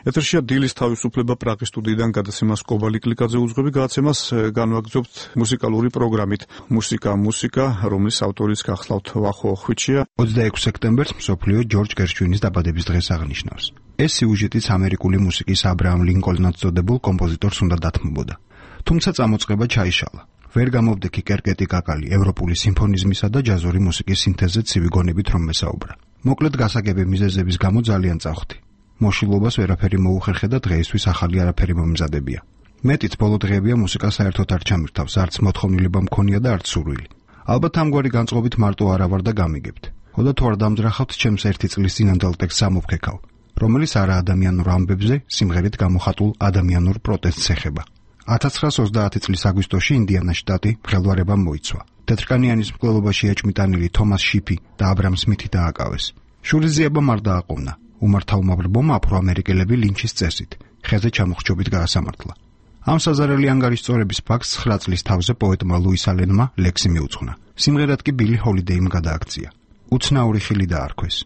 ეთერშია დილის თავისუფლება პრაღის სტუდიიდან გადაცემას კობალი კლიკაძე უძღვები, გადაცემას განვაგრძობთ მუსიკალური პროგრამით. მუსიკა მუსიკა, რომლის ავტორიც გახლავთ ვახო ხვიჩია. ოცდაექვსი სექტემბერს მსოფლიო ჯორჯ გერშვინის დაბადების დღეს აღნიშნავს. ეს სიუჟეტიც ამერიკული მუსიკის აბრაამ ლინკოლნად წოდებულ კომპოზიტორს უნდა დათმობოდა. თუმცა წამოწყება ჩაიშალა. ვერ გამოვდექი კერკეტი კაკალი ევროპული სიმფონიზმისა და ჯაზური მუსიკის სინთეზზე ცივი გონებით რომ მესაუბრა. მოკლედ გასაგები მიზეზების გამო ძალიან წავხდი. მოშილობას ვერაფერი მოუხერხე და დღეისთვის ახალი არაფერი მომზადებია. მეტიც ბოლო დღეებია მუსიკა საერთოდ არ ჩამირთავს, არც მოთხოვნილება მქონია და არც სურვილი. ალბათ ამგვარი განწყობით მარტო არა ვარ და გამიგებთ. ხოდა თუ არ დამძრახავთ ჩემს ერთი წლის წინანდელ ტექსტს ამოფქეკავ, რომელიც არა ადამიანურ ამბებზე, სიმღერით გამოხატულ ადამიანურ პროტესტს ეხება. ათას ცხრაას ოცდაათი წლის აგვისტოში ინდიანას შტატი მღელვარებამ მოიცვა. თეთრკანიანის მკვლელობაში ეჭმიტანილი თომას შიფი და აბრამ სმითი დააკავეს. შურის ზიებამ არ დააყოვნა. უმართავმობრბომ აფრო-ამერიკელები ლინჩის წესით, ხეზე ჩამოხრჩობით გაასამართლა. ამ საზარელი ანგარიშწორების ფაქტს ცხრა წლის თავზე პოეტმა ლუის ალენმა ლექსი მიუძღვნა. სიმღერად კი ბილი ჰოლიდეიმ გადააქცია. უცნაური ხილი დაარქვეს,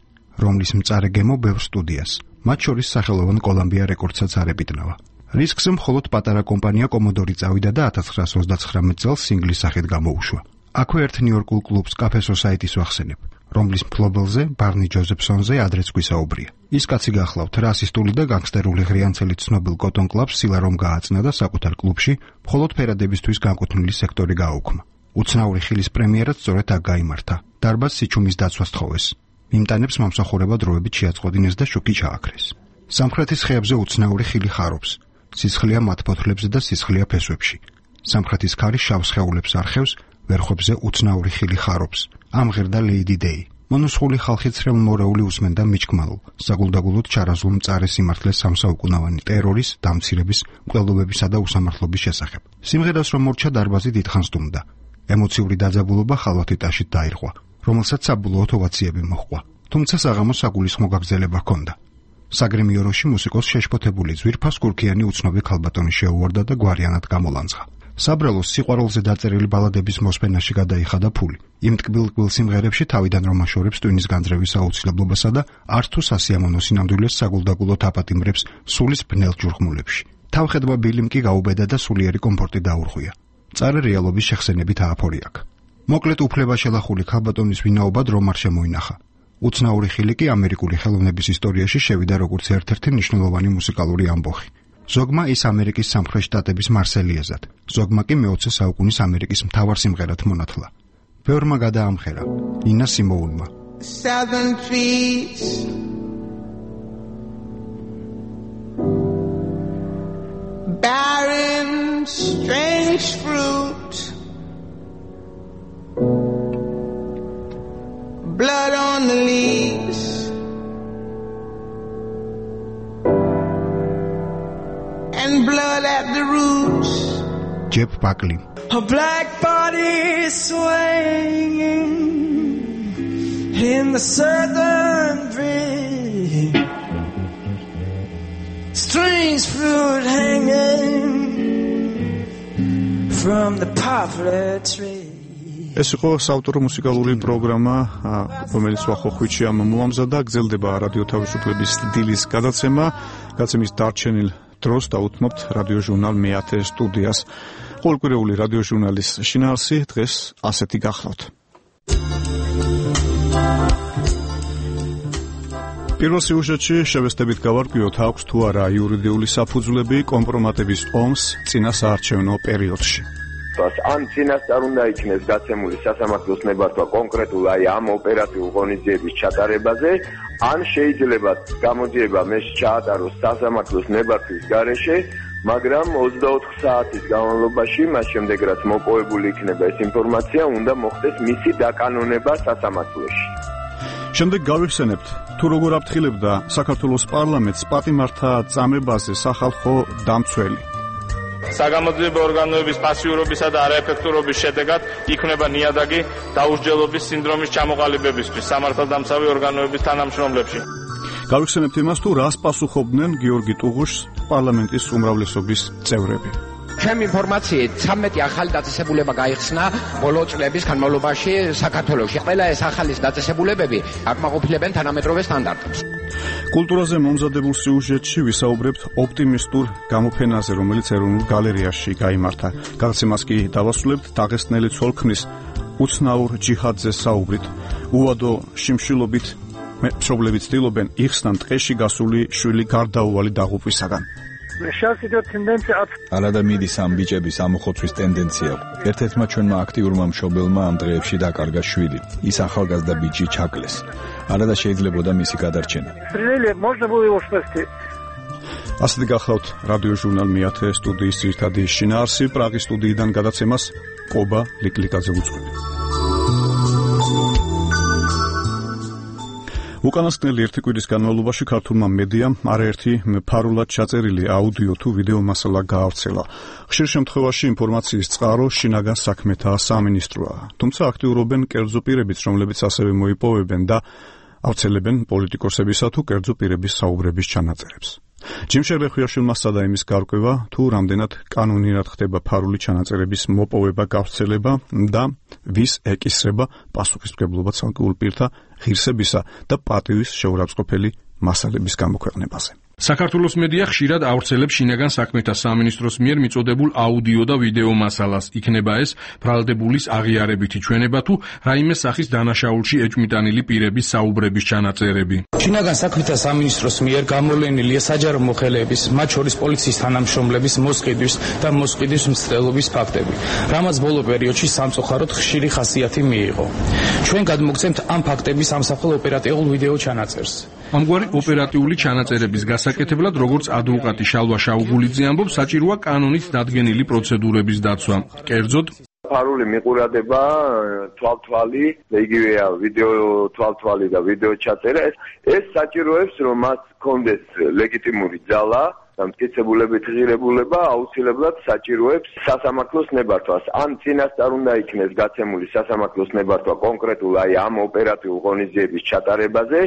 რომლის მწარე გემო ბევრ სტუდიას, მათ შორის სახელოვან კოლუმბია რეკორდსაც არ ებიტნავა. რისკზე მხოლოდ პატარა კომპანია კომოდორი წავიდა და ათას ცხრაას ოცდაცხრამეტ წელს სინგლის სახით გამოუშვა. აქვე ერთ ნიუ-იორკულ კლუბს კაფე სოსაიტის ვახსენებ, რომლის მფლობელზე ბარნი ჯოზეფსონზე ადრეც გვისაუბრია. ის კაცი გახლავთ რასისტული და განგსტერული ღრიანცელით ცნობილ კოტონ კლაბს სილა რომ გააცნა და საკუთარ კლუბში მხოლოდ ფერადებისთვის განკუთვნილი სექტორი გააუქმა. უცნაური ხილის პრემიერაც სწორედ აქ გაიმართა. დარბაზ სიჩუმის დაცვას თხოვეს. მიმტანებს მომსახურება დროებით შეაწყვეტინეს და შუქი ჩააქრეს. სამხრეთის ხეებზე უცნაური ხილი ხარობს. სისხლია მათ ფოთლებზე და სისხლია ფესვებში. სამხრეთის ქარი შავ სხეულებს არხევს, ვერხებზე უცნაური ხილი ხარობს. ამღერდა ლეიდი დეი. მონოსხული ხალხი ცრემლმორეული უსმენდა მიჩქმალულ, საგულდაგულოდ ჩარაზულ მწარე სიმართლეს სამსაუკუნოვანი ტერორის, დამცირების, მკვლელობებისა და უსამართლობის შესახებ. სიმღერას რომ მორჩა დარბაზი დიდხანს დუმდა. ემოციური დაძაბულობა ხალვათიტაშით დაირღვა, რომელსაც საბოლოოდ ოვაციები მოჰყვა. თუმცა საღამოს საგულისხმო გაგრძელება ჰქონდა. საგრემიოროში მუსიკოს შეშფოთებული ძვირფას კურქიანი უცნობი ქალბატონი შეუვარდა და გვარიანად გამოლანძღა. საბრალოს სიყვარულზე დაწერილი ბალადების მოსმენაში გადაიხადა ფული. იმ ტკბილ-ტკბილ სიმღერებში თავიდან რომ აშორებს ტვინის განძრევის აუცილებლობასა და არც თუ სასიამოვნო სინამდვილეს საგულდაგულოდ აპატიმრებს სულის ბნელ ჯურხმულებში. თავხედმა ბილიმ კი გაუბედა და სულიერი კომფორტი დაურღვია. მწარე რეალობის შეხსენებით ააფორი აქ. მოკლედ უფლება შელახული ქალბატონის ვინაობა რომ არ შემოინახა. უცნაური ხილი კი ამერიკული ხელოვნების ისტორიაში შევიდა როგორც ერთ-ერთი მნიშვნელოვანი მუსიკალური ამბოხი. ზოგმა ის ამერიკის სამხრეთ შტატების მარსელიეზად, ზოგმა კი მეოცე საუკუნის ამერიკის მთავარ სიმღერად მონათლა. ბევრმა გადაამხერა, ნინა სიმოუნმა. Southern trees bearing strange fruit, blood on the leaves, and blood at the roots. Jeff Buckley. A black body swinging in the southern breeze, strange fruit hanging from the poplar tree. ეს იყო საავტორო მუსიკალური პროგრამა, რომელიც ვახოხვიჩი ამ მოამზადა, გრძელდება რადიო თავისუფლების დილის გადაცემა, გადაცემის დარჩენილ დროს დაუთმობთ რადიო ჟურნალ მეათე სტუდიას. ყოველკვირეული რადიო ჟურნალის შინაარსი დღეს ასეთი გახლავთ. პირველ სიუჟეტში შევესწრებით გავარკვიოთ, აქვს თუ არა იურიდიული საფუძვლები კომპრომატების ომს წინა საარჩევნო პერიოდში. ან წინასწარ უნდა იქნეს გაცემული სასამართლოს ნებართვა კონკრეტულ აი ამ ოპერატიულ ღონისძიების ჩატარებაზე, ან შეიძლება გამოძიება მე ჩაატაროს სასამართლოს ნებართვის გარეშე, მაგრამ ოცდაოთხ საათის განმავლობაში, მას შემდეგ რაც მოპოვებული იქნება ეს ინფორმაცია, უნდა მოხდეს მისი დაკანონება სასამართლოში. შემდეგ გავიხსენებთ, თუ როგორ აფრთხილებდა საქართველოს პარლამენტს პატიმართა წამებაზე სახალხო დამცველი. საგამოძიებო ორგანოების პასიურობისა და არაეფექტურობის შედეგად იქმნება ნიადაგი დაუსჯელობის სინდრომის ჩამოყალიბებისთვის სამართალდამცავი ორგანოების თანამშრომლებში. გავიხსენებთ იმას, თუ რას პასუხობდნენ გიორგი ტუღუშს პარლამენტის უმრავლესობის წევრები. ჩემი ინფორმაციით ცამეტი ახალი დაწესებულება გაიხსნა ბოლო წლების განმავლობაში საქართველოში. ყველა ეს ახალი დაწესებულებები აკმაყოფილებენ თანამედროვე სტანდარტებს. კულტურაზე მომზადებულ სიუჟეტში ვისაუბრებთ ოპტიმისტურ გამოფენაზე, რომელიც ეროვნულ გალერეაში გაიმართა. გადაცემას კი დავასრულებთ დაღესტნელი ცოლქმრის უცნაურ ჯიჰადზე საუბრით. უვადო შიმშილობით მშობლები ცდილობენ იხსნან ტყეში გასული შვილი გარდაუვალი დაღუპვისაგან. არადა მიდის ამ ბიჭების ამოხოცვის ტენდენცია. ერთ-ერთმა ჩვენმა აქტიურმა მშობელმა ამ დღეებში დაკარგა შვილი. ის ახალგაზრდა ბიჭი ჩაკლეს. არადა შეიძლებოდა მისი გადარჩენა. ასეთი გახლავთ რადიო ჟურნალ მეათე სტუდიის ძირითადი შინაარსი. პრაღის სტუდიიდან გადაცემას კობა ლიკლიკაძე უძღვებით. უკანასკნელი ერთი კვირის განმავლობაში ქართულმა მედიამ არაერთი ფარულად ჩაწერილი აუდიო თუ ვიდეო მასალა გაავრცელა. ხშირ შემთხვევაში ინფორმაციის წყარო შინაგან საქმეთა სამინისტროა. თუმცა აქტიურობენ კერძო პირებიც, რომლებიც ასევე მოიპოვებენ და ავრცელებენ პოლიტიკოსებისა თუ კერძო პირების საუბრების ჩანაწერებს. ჯიმ შერეხუაშვილმა სცადა იმის გარკვევა, თუ რამდენად კანონიურად ხდება ფარული ჩანაწერების მოპოვება, გავრცელება და ვის ეკისრება პასუხისმგებლობა ცალკეულ პირთა ღირსებისა და პატივის შეურაცხყოფელი მასალების გამოქვეყნებაზე. საქართველოს მედია ხშირად ავრცელებს შინაგან საქმეთა სამინისტროს მიერ მიწოდებულ აუდიო და ვიდეო მასალას. იქნება ეს ბრალდებულის აღიარებითი ჩვენება თუ რაიმე სახის დანაშაულში ეჭვმიტანილი პირების საუბრების ჩანაწერები. შინაგან საქმეთა სამინისტროს მიერ გამოვლენილია საჯარო მოხელეების, მათ შორის პოლიციის თანამშრომლების მოსყიდვის და მოსყიდვის მცდელობის ფაქტები, რამაც ბოლო პერიოდში სამწუხაროდ ხშირი ხასიათი მიიღო. ჩვენ გადმოგცემთ ამ ფაქტების ამსახველ ოპერატიულ ვიდეო ჩანაწერს. ამგვარი ოპერატიული ჩანაწერების გასაკეთებლად, როგორც ადვოკატი შალვა შაუგულიძე ამბობს, საჭიროა კანონით დადგენილი პროცედურების დაცვა. კერძოდ, ფარული მიყურადება, თვალთვალი, იგივეა ვიდეო თვალთვალი და ვიდეო ჩაწერა, ეს საჭიროებს, რომ მას ჰქონდეს ლეგიტიმური ძალა და მტკიცებულებით ღირებულება, აუცილებლად საჭიროებს სასამართლოს ნებართვას. ან წინასწარ უნდა იქნეს გაცემული სასამართლოს ნებართვა კონკრეტულ აი ამ ოპერატიულ ღონისძიების ჩატარებაზე,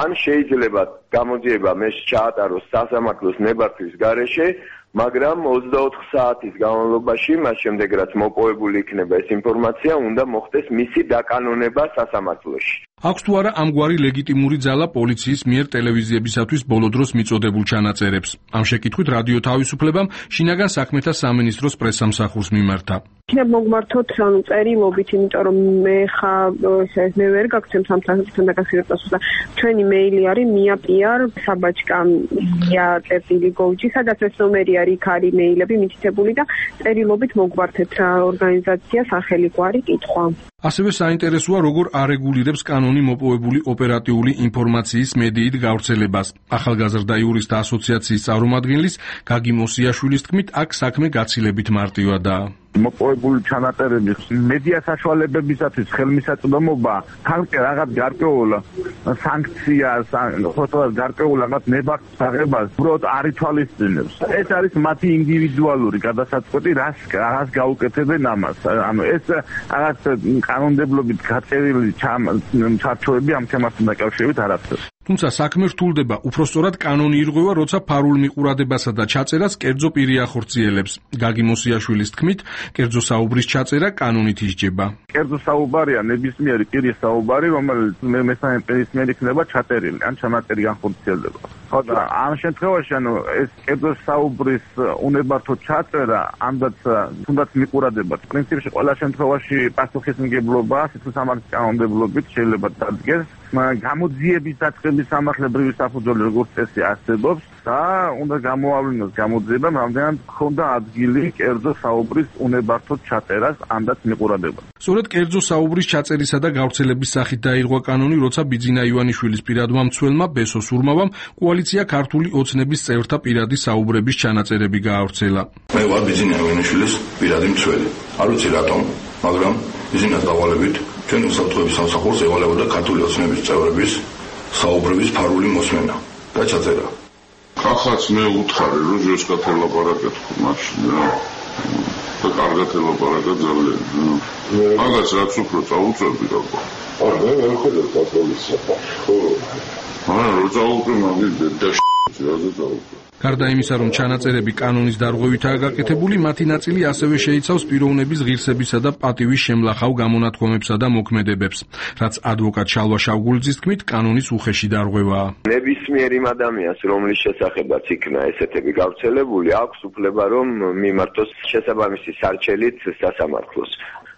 ან შეიძლება გამოძიება მე ჩაატაროს სასამართლოს ნებართვის გარეშე, მაგრამ ოცდაოთხ საათის განმავლობაში, მას შემდეგ რაც მოპოვებული იქნება ეს ინფორმაცია, უნდა მოხდეს მისი დაკანონება სასამართლოში. აქვს თუ არა ამგვარი ლეგიტიმური ძალა პოლიციის მიერ ტელევიზიებისათვის ბოლო დროს მიწოდებულ ჩანაწერებს? ამ შეკითხვით რადიო თავისუფლებამ შინაგან საქმეთა სამინისტროს პრესსამსახურს მიმართა. იქნებ მოგმართოთ ანუ წერილობით, იმიტომ რომ მე ხა მე ვერ გაგცემ სამთანთან დაკავშირებას და ჩვენი მეილი არის mia.pr საბაჭკა mia.წერტილი gov.gr, სადაც ეს ნომერი არის, იქ არის მეილები მითითებული და წერილობით მოგმართეთ რა ორგანიზაცია სახელი გვარი კითხვა. ასევე საინტერესოა, როგორ არეგულირებს კანონი მოპოვებული ოპერატიული ინფორმაციის მედიით გავრცელებას. ახალგაზრდა იურისტთა ასოციაციის წარმომადგენლის გაგი მოსიაშვილის თქმით, აქ საქმე გაცილებით მარტივადაა. მოპოვებული ჩანაწერების მედია საშუალებებისათვის ხელმისაწვდომობა თანკე რაღაც გარკვეულ სანქციას, ხოთოლად გარკვეულ რაღაც ნებართვას აღებას უბრალოდ არ ითვალისწინებს. ეს არის მათი ინდივიდუალური გადასაწყვეტი, რას რას გაუკეთებენ ამას. ანუ ეს რაღაც კანონმდებლობით გაწერილი ჩარჩოები ამ თემასთან დაკავშირებით არ არსებობს. თუმცა საქმე რთულდება, უпростоრად კანონი ირღვევა, როცა ფარულ მიყურადებასა და ჩაწერას კერძო პირი ახორციელებს. გაგი მოსიაშვილის თქმით, კერძო საუბრის ჩაწერა კანონით ისჯება. კერძო საუბარია ნებისმიერი პირის საუბარი, რომელიც მესამე პირის მიერ იქნება ჩაწერილი, ან ჩანაწერი განხორციელდება. ხო და ამ შემთხვევაში, ანუ ეს კერძო საუბრის უნებართო ჩაწერა, ამდაც თუნდაც მიყურადება, პრინციპში ყველა შემთხვევაში პასუხისმგებლობა სიცოცხლის კანონმდებლობით შეიძლება დადგეს. გამოძიების დაწყების სამართლებრივი საფუძველი როგორც წესი არსებობს და უნდა გამოავლინოს გამოძიება, რამდენად ჰქონდა ადგილი კერძო საუბრის უნებართო ჩაწერას ამდაც მიყურადება. სწორედ კერძო საუბრის ჩაწერისა და გავრცელების სახით დაირღვა კანონი, როცა ბიძინა ივანიშვილის პირადმა მცველმა ბესო სურმავამ კოალიცია ქართული ოცნების წევრთა პირადი საუბრების ჩანაწერები გაავრცელა. მე ვარ ბიძინა ივანიშვილის პირადი მცველი. არ ვიცი რატომ, მაგრამ ბიძინას დავალებით ჩვენ უსაფრთხოების სამსახურს ევალებოდა ქართული ოცნების წევრების საუბრების ფარული მოსმენა და ჩაწერა. ახაც მე უთხარი, რომ ჟესკათ ელაპარაკეთ მაშინ და კარგად ელაპარაკა ძალიან. მაგას რაც უფრო წაუწევდი რა. არ მე ვერ ხედავ კათოლიკსა. ხო. არა, რო წაუწევ მაგის და რაზე წაუწევ. გარდა იმისა, რომ ჩანაწერები კანონის დარღვევითაა გაკეთებული, მათი ნაწილი ასევე შეიცავს პიროვნების ღირსებისა და პატივის შემლახავ გამონათქვამებსა და მოქმედებებს, რაც ადვოკატ შალვა შაუგულიძის თქმით, კანონის უხეში დარღვევაა. ნებისმიერ იმ ადამიანს, რომლის შესახებაც იქნა ესეთები გავრცელებული, აქვს უფლება, რომ მიმართოს შესაბამისი სარჩელით სასამართლოს.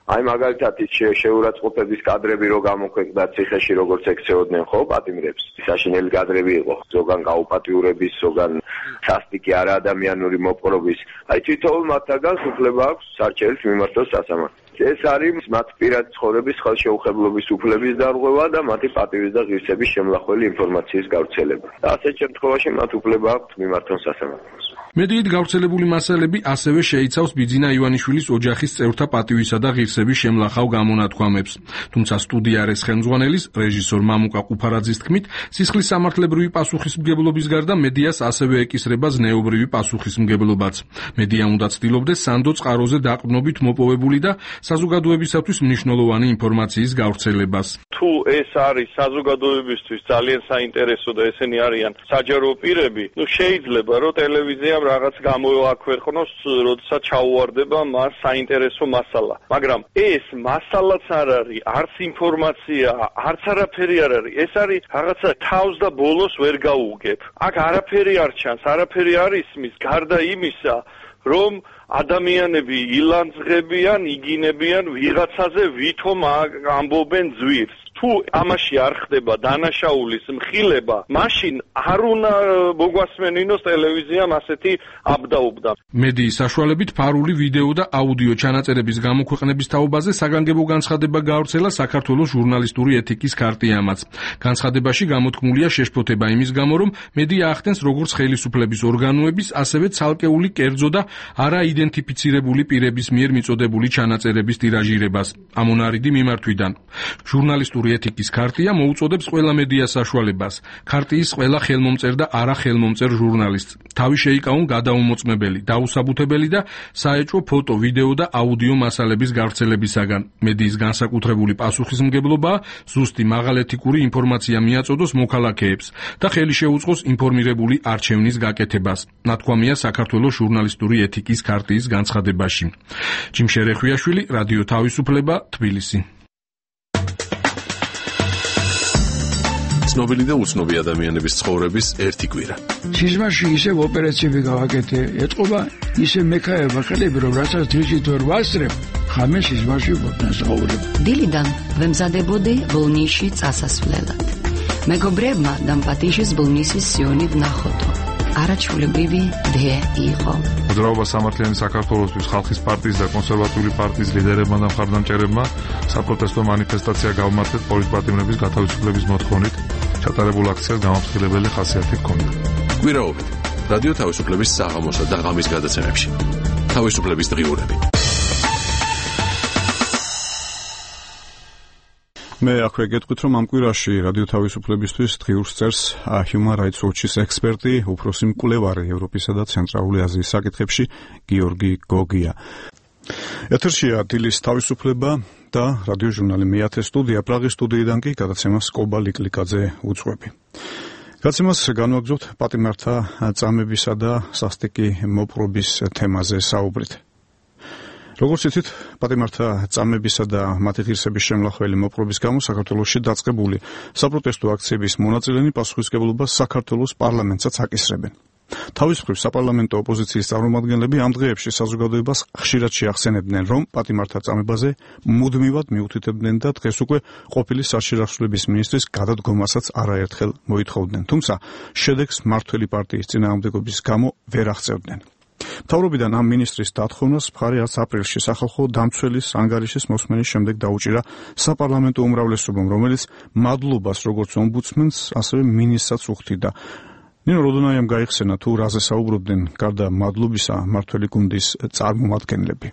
აი მაგალითად ის შეურაცხყოფების კადრები რო გამოქვეყნდა ციხეში, როგორც ექცეოდნენ ხო პატიმრებს. საშინელი კადრები იყო, ზოგან გაუპატიურების, ზოგან სასტიკი არაადამიანური მოპყრობის. აი თითოეულ მათგანს უფლება აქვს სარჩელით მიმართოს სასამართლოს. ეს არის მათ პირადი ცხოვრების ხელშეუხებლობის უფლების დარღვევა და მათი პატივის და ღირსების შემლახველი ინფორმაციის გავრცელება. და ასეთ შემთხვევაში მათ უფლება აქვთ მიმართონ სასამართლოს. მედიით გავრცელებული მასალები ასევე შეიცავს ბიძინა ივანიშვილის ოჯახის წევრთა პატივისა და ღირსების შემლახავ გამონათქვამებს. თუმცა სტუდიარეს ხელმძღვანელის რეჟისორ მამუკა ყუფარაძის თქმით, სისხლის სამართლებრივი პასუხისმგებლობის გარდა მედიას ასევე ეკისრება ზნეობრივი პასუხისმგებლობაც. მედია უნდა ცდილობდეს სანდო წყაროზე დაყრდნობით მოპოვებული და საზოგადოებისათვის მნიშვნელოვანი ინფორმაციის გავრცელებას. თუ ეს არის საზოგადოებისთვის ძალიან საინტერესო და ესენი არიან საჯარო პირები, ნუ შეიძლება რომ ტელევიზიამ რაღაც გამოაქვეყნოს, როდესაც ჩაუვარდება მას საინტერესო მასალა. მაგრამ ეს მასალაც არ არის, არც ინფორმაცია, არც არაფერი არ არის. ეს არის რაღაცა თავს და ბოლოს ვერ გაუგებ. აქ არაფერი არ ჩანს, არაფერი არ ისმის, გარდა იმისა, რომ ადამიანები ილანძღებიან, იგინებიან ვიღაცაზე, ვითომ ამბობენ ძვირს. თუ ამაში არ ხდება დანაშაულის მხილება, მაშინ არ უნდა მოგვასმენინოს ტელევიზიამ ასეთი აბდაუბდა. მედიის საშუალებით ფარული ვიდეო და აუდიო ჩანაწერების გამოქვეყნების თაობაზე საგანგებო განცხადება გაავრცელა საქართველოს ჟურნალისტური ეთიკის ქარტიამაც. განცხადებაში გამოთქმულია შეშფოთება იმის გამო, რომ მედია ახდენს როგორც ხელისუფლების ორგანოების, ასევე ცალკეული კერძო და არაიდენტიფიცირებული პირების მიერ მიწოდებული ჩანაწერების ტირაჟირებას. ამონარიდი მიმართვიდან. ჟურნალისტური ეთიკის ქარტია მოუწოდებს ყველა მედია საშუალებას, ქარტიის ყველა ხელმომწერ და არახელმომწერ ჟურნალისტს თავი შეიკავონ გადაუმოწმებელი, დაუსაბუთებელი და საეჭვო ფოტო, ვიდეო და აუდიო მასალების გავრცელებისაგან. მედიის განსაკუთრებული პასუხისმგებლობაა ზუსტი მაღალეთიკური ინფორმაცია მიაწოდოს მოქალაქეებს და ხელი შეუწყოს ინფორმირებული არჩევნის გაკეთებას. ნათქვამია საქართველოს ჟურნალისტური ეთიკის ქარტიის განცხადებაში. ჯიმ შერეხვიაშვილი, რადიო თავისუფლება, თბილისი. ცნობილი და უცნობი ადამიანების ცხოვრების ერთი კვირა. სიზმარში ისევ ოპერაციები გავაკეთე, ეთყობა ისე მექაება ხელები, რომ რასაც დღისით ვერ ვასწრებ, ხამე სიზმარში ვფასაუბრებ. დილიდან ვემზადებოდი ბოლნისში წასასვლელად. მეგობრებმა დამპატიშის ბოლნისის სიონი ვნახოდო. არაჩვეულებრივი დე იყო. მოძრაობა სამართლიანი საქართველოსთვის ხალხის პარტიის და კონსერვატიული პარტიის ლიდერებმა და მხარდამჭერებმა საპროტესტო მანიფესტაცია გავმართეთ პოლიტპატიმრების გათავისუფლების მოთხოვნით. ჩატარებულ აქციას გამაფრთხილებელი ხასიათი ჰქონდა. კვირაობით რადიო თავისუფლების საღამოსა და ღამის გადაცემებში. თავისუფლების დღიურები. მე აქვე გეტყვით, რომ ამ კვირაში რადიო თავისუფლებისთვის დღიურს წერს Human Rights Watch-ის ექსპერტი, უფროსი მკვლევარი ევროპისა და ცენტრალური აზიის საკითხებში გიორგი გოგია. ეთერშია დილის თავისუფლება და რადიო ჟურნალი მეათე სტუდია, პრაღის სტუდიიდან კი გადაცემას კობა ლიკლიკაძე უძღვები. გადაცემას განვაგრძობთ პატიმართა წამებისა და სასტიკი მოპყრობის თემაზე საუბრით. როგორც იცით, პატიმართა წამებისა და მათი ღირსების შემლახველი მოპყრობის გამო საქართველოში დაწყებული საპროტესტო აქციების მონაწილენი პასუხისმგებლობას საქართველოს პარლამენტსაც აკისრებენ. თავის მხრივ საპარლამენტო ოპოზიციის წარმომადგენლები ამ დღეებში საზოგადოებას ხშირად შეახსენებდნენ, რომ პატიმართა წამებაზე მუდმივად მიუთითებდნენ და დღეს უკვე ყოფილი საშეშრავლების მინისტრის გადადგომასაც არაერთხელ მოითხოვდნენ, თუმცა შედეგს მმართველი პარტიის წინააღმდეგობის გამო ვერ აღწევდნენ. მთავრობიდან ამ მინისტრის დათხოვნას მხარი არც აპრილში სახალხო დამცველის ანგარიშის მოსმენის შემდეგ დაუჭირა საპარლამენტო უმრავლესობამ, რომელიც მადლობას როგორც ომბუდსმენს, ასევე მინისტრსაც უხდიდა. ნინო როდონაიამ გაიხსენა თუ რაზე საუბრობდნენ გარდა მადლობისა მმართველი გუნდის წარმომადგენლები.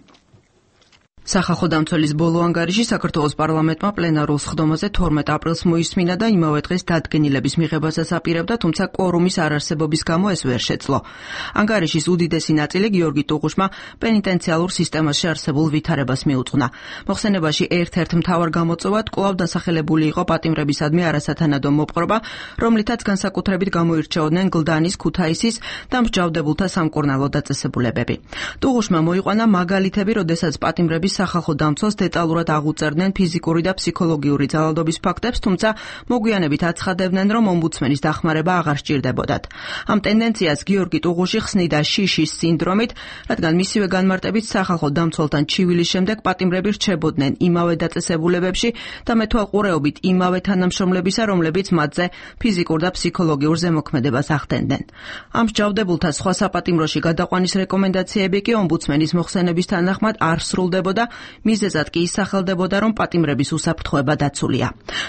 სახალხო დამცველის ბოლო ანგარიში საქართველოს პარლამენტმა პლენარულ სხდომაზე თორმეტ აპრილს მოისმინა და იმავე დღეს დადგენილების მიღებასაც აპირებდა, თუმცა კვორუმის არარსებობის გამო ეს ვერ შეძლო. ანგარიშის უდიდესი ნაწილი გიორგი ტუღუშმა პენიტენციალურ სისტემაში არსებულ ვითარებას მიუძღვნა. მოხსენებაში ერთ-ერთ მთავარ გამოწვევად კვლავ დასახელებული იყო პატიმრებისადმი არასათანადო მოპყრობა, რომლითაც განსაკუთრებით გამოირჩეოდნენ გლდანის, ქუთაისის და მსჯავრდებულთა სამკურნალო დაწესებულებები. ტუღუშმა მოიყვანა მაგალითები, როდესაც პატიმრები სახალხო დამცველს დეტალურად აღუწერდნენ ფიზიკური და ფსიქოლოგიური ძალადობის ფაქტებს, თუმცა მოგვიანებით აცხადებდნენ, რომ ომბუდსმენის დახმარება აღარ სჭირდებოდათ. ამ ტენდენციას გიორგი ტუღუში ხსნიდა შიშის სინდრომით, რადგან მისივე განმარტებით სახალხო დამცველთან ჩივილის შემდეგ პატიმრები რჩებოდნენ იმავე დაწესებულებებში და მეთვალყურეობით იმავე თანამშრომლებისა, რომლებიც მათზე ფიზიკურ და ფსიქოლოგიურ ზემოქმედებას ახდენდნენ. ამ მსჯავრდებულთა სხვა საპატიმროში გადაყვანის რეკომენდაციები კი ომბუდსმენის მოხსენების თანახმად არ სრულდებოდა და მიზეზად კი ისახელდებოდა, რომ პატიმრების უსაფრთხოება დაცულია.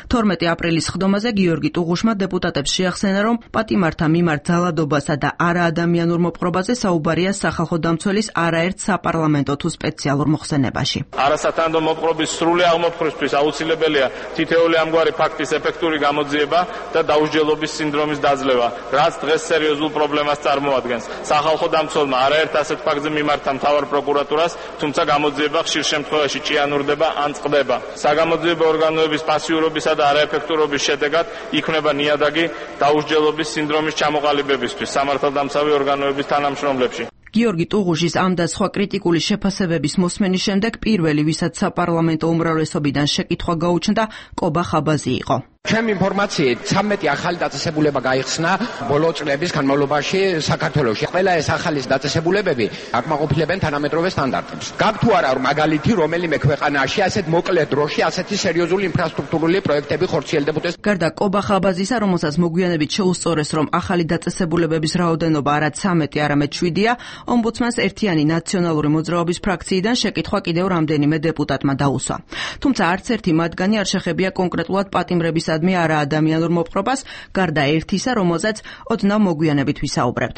თორმეტი აპრილის ხდომაზე გიორგი ტუღუშმა დეპუტატებს შეახსენა, რომ პატიმართა მიმართ ძალადობასა და არაადამიანურ მოპყრობაზე საუბარია სახალხო დამცველის არაერთ საპარლამენტო თუ სპეციალურ მოხსენებაში. არასათანადო მოპყრობის სრული აღმოფხვრისთვის აუცილებელია თითოეული ამგვარი ფაქტის ეფექტური გამოძიება და დაუსჯელობის სინდრომის დაძლევა, რაც დღეს სერიოზულ პრობლემას წარმოადგენს. სახალხო დამცველმა არაერთ ასეთ ფაქტზე მიმართა მთავარ პროკურატურას, თუმცა გამოძიება ხშირ შემთხვევაში ჭიანურდება ან წყდება. საგამოძიებო ორგანოების პასიურობისა და არაეფექტურობის შედეგად იქმნება ნიადაგი დაუსჯელობის სინდრომის ჩამოყალიბებისთვის სამართალდამცავი ორგანოების თანამშრომლებში. გიორგი ტუღუშის ამ და სხვა კრიტიკული შეფასებების მოსმენის შემდეგ პირველი, ვისაც საპარლამენტო უმრავლესობიდან შეკითხვა გაუჩნდა, კობა ხაბაზი იყო. ჩემი ინფორმაციით ცამეტი ახალი დაწესებულება გაიხსნა ბოლო წლების განმავლობაში საქართველოში. ყველა ეს ახალი დაწესებულებები აკმაყოფილებენ თანამედროვე სტანდარტებს. გაქვთ თუ არა მაგალითი რომელიმე ქვეყანაში ასეთ მოკლე დროში ასეთი სერიოზული ინფრასტრუქტურული პროექტები ხორციელდებოდეს? გარდა კობა ხაბაზისა, რომელსაც მოგვიანებით შეუსწორეს, რომ ახალი დაწესებულებების რაოდენობა არა ცამეტი, არამედ შვიდია, ომბუდსმენს ერთიანი ნაციონალური მოძრაობის ფრაქციიდან შეკითხვა კიდევ რამდენიმე დეპუტატმა დაუსვა. თუმცა არც ერთი მათგანი არ შეხებია კონკრეტულად პატიმრების ადმე არაადამიანურ მოპყრობას, გარდა ერთისა, რომელზეც ოდნავ მოგვიანებით ვისაუბრებთ.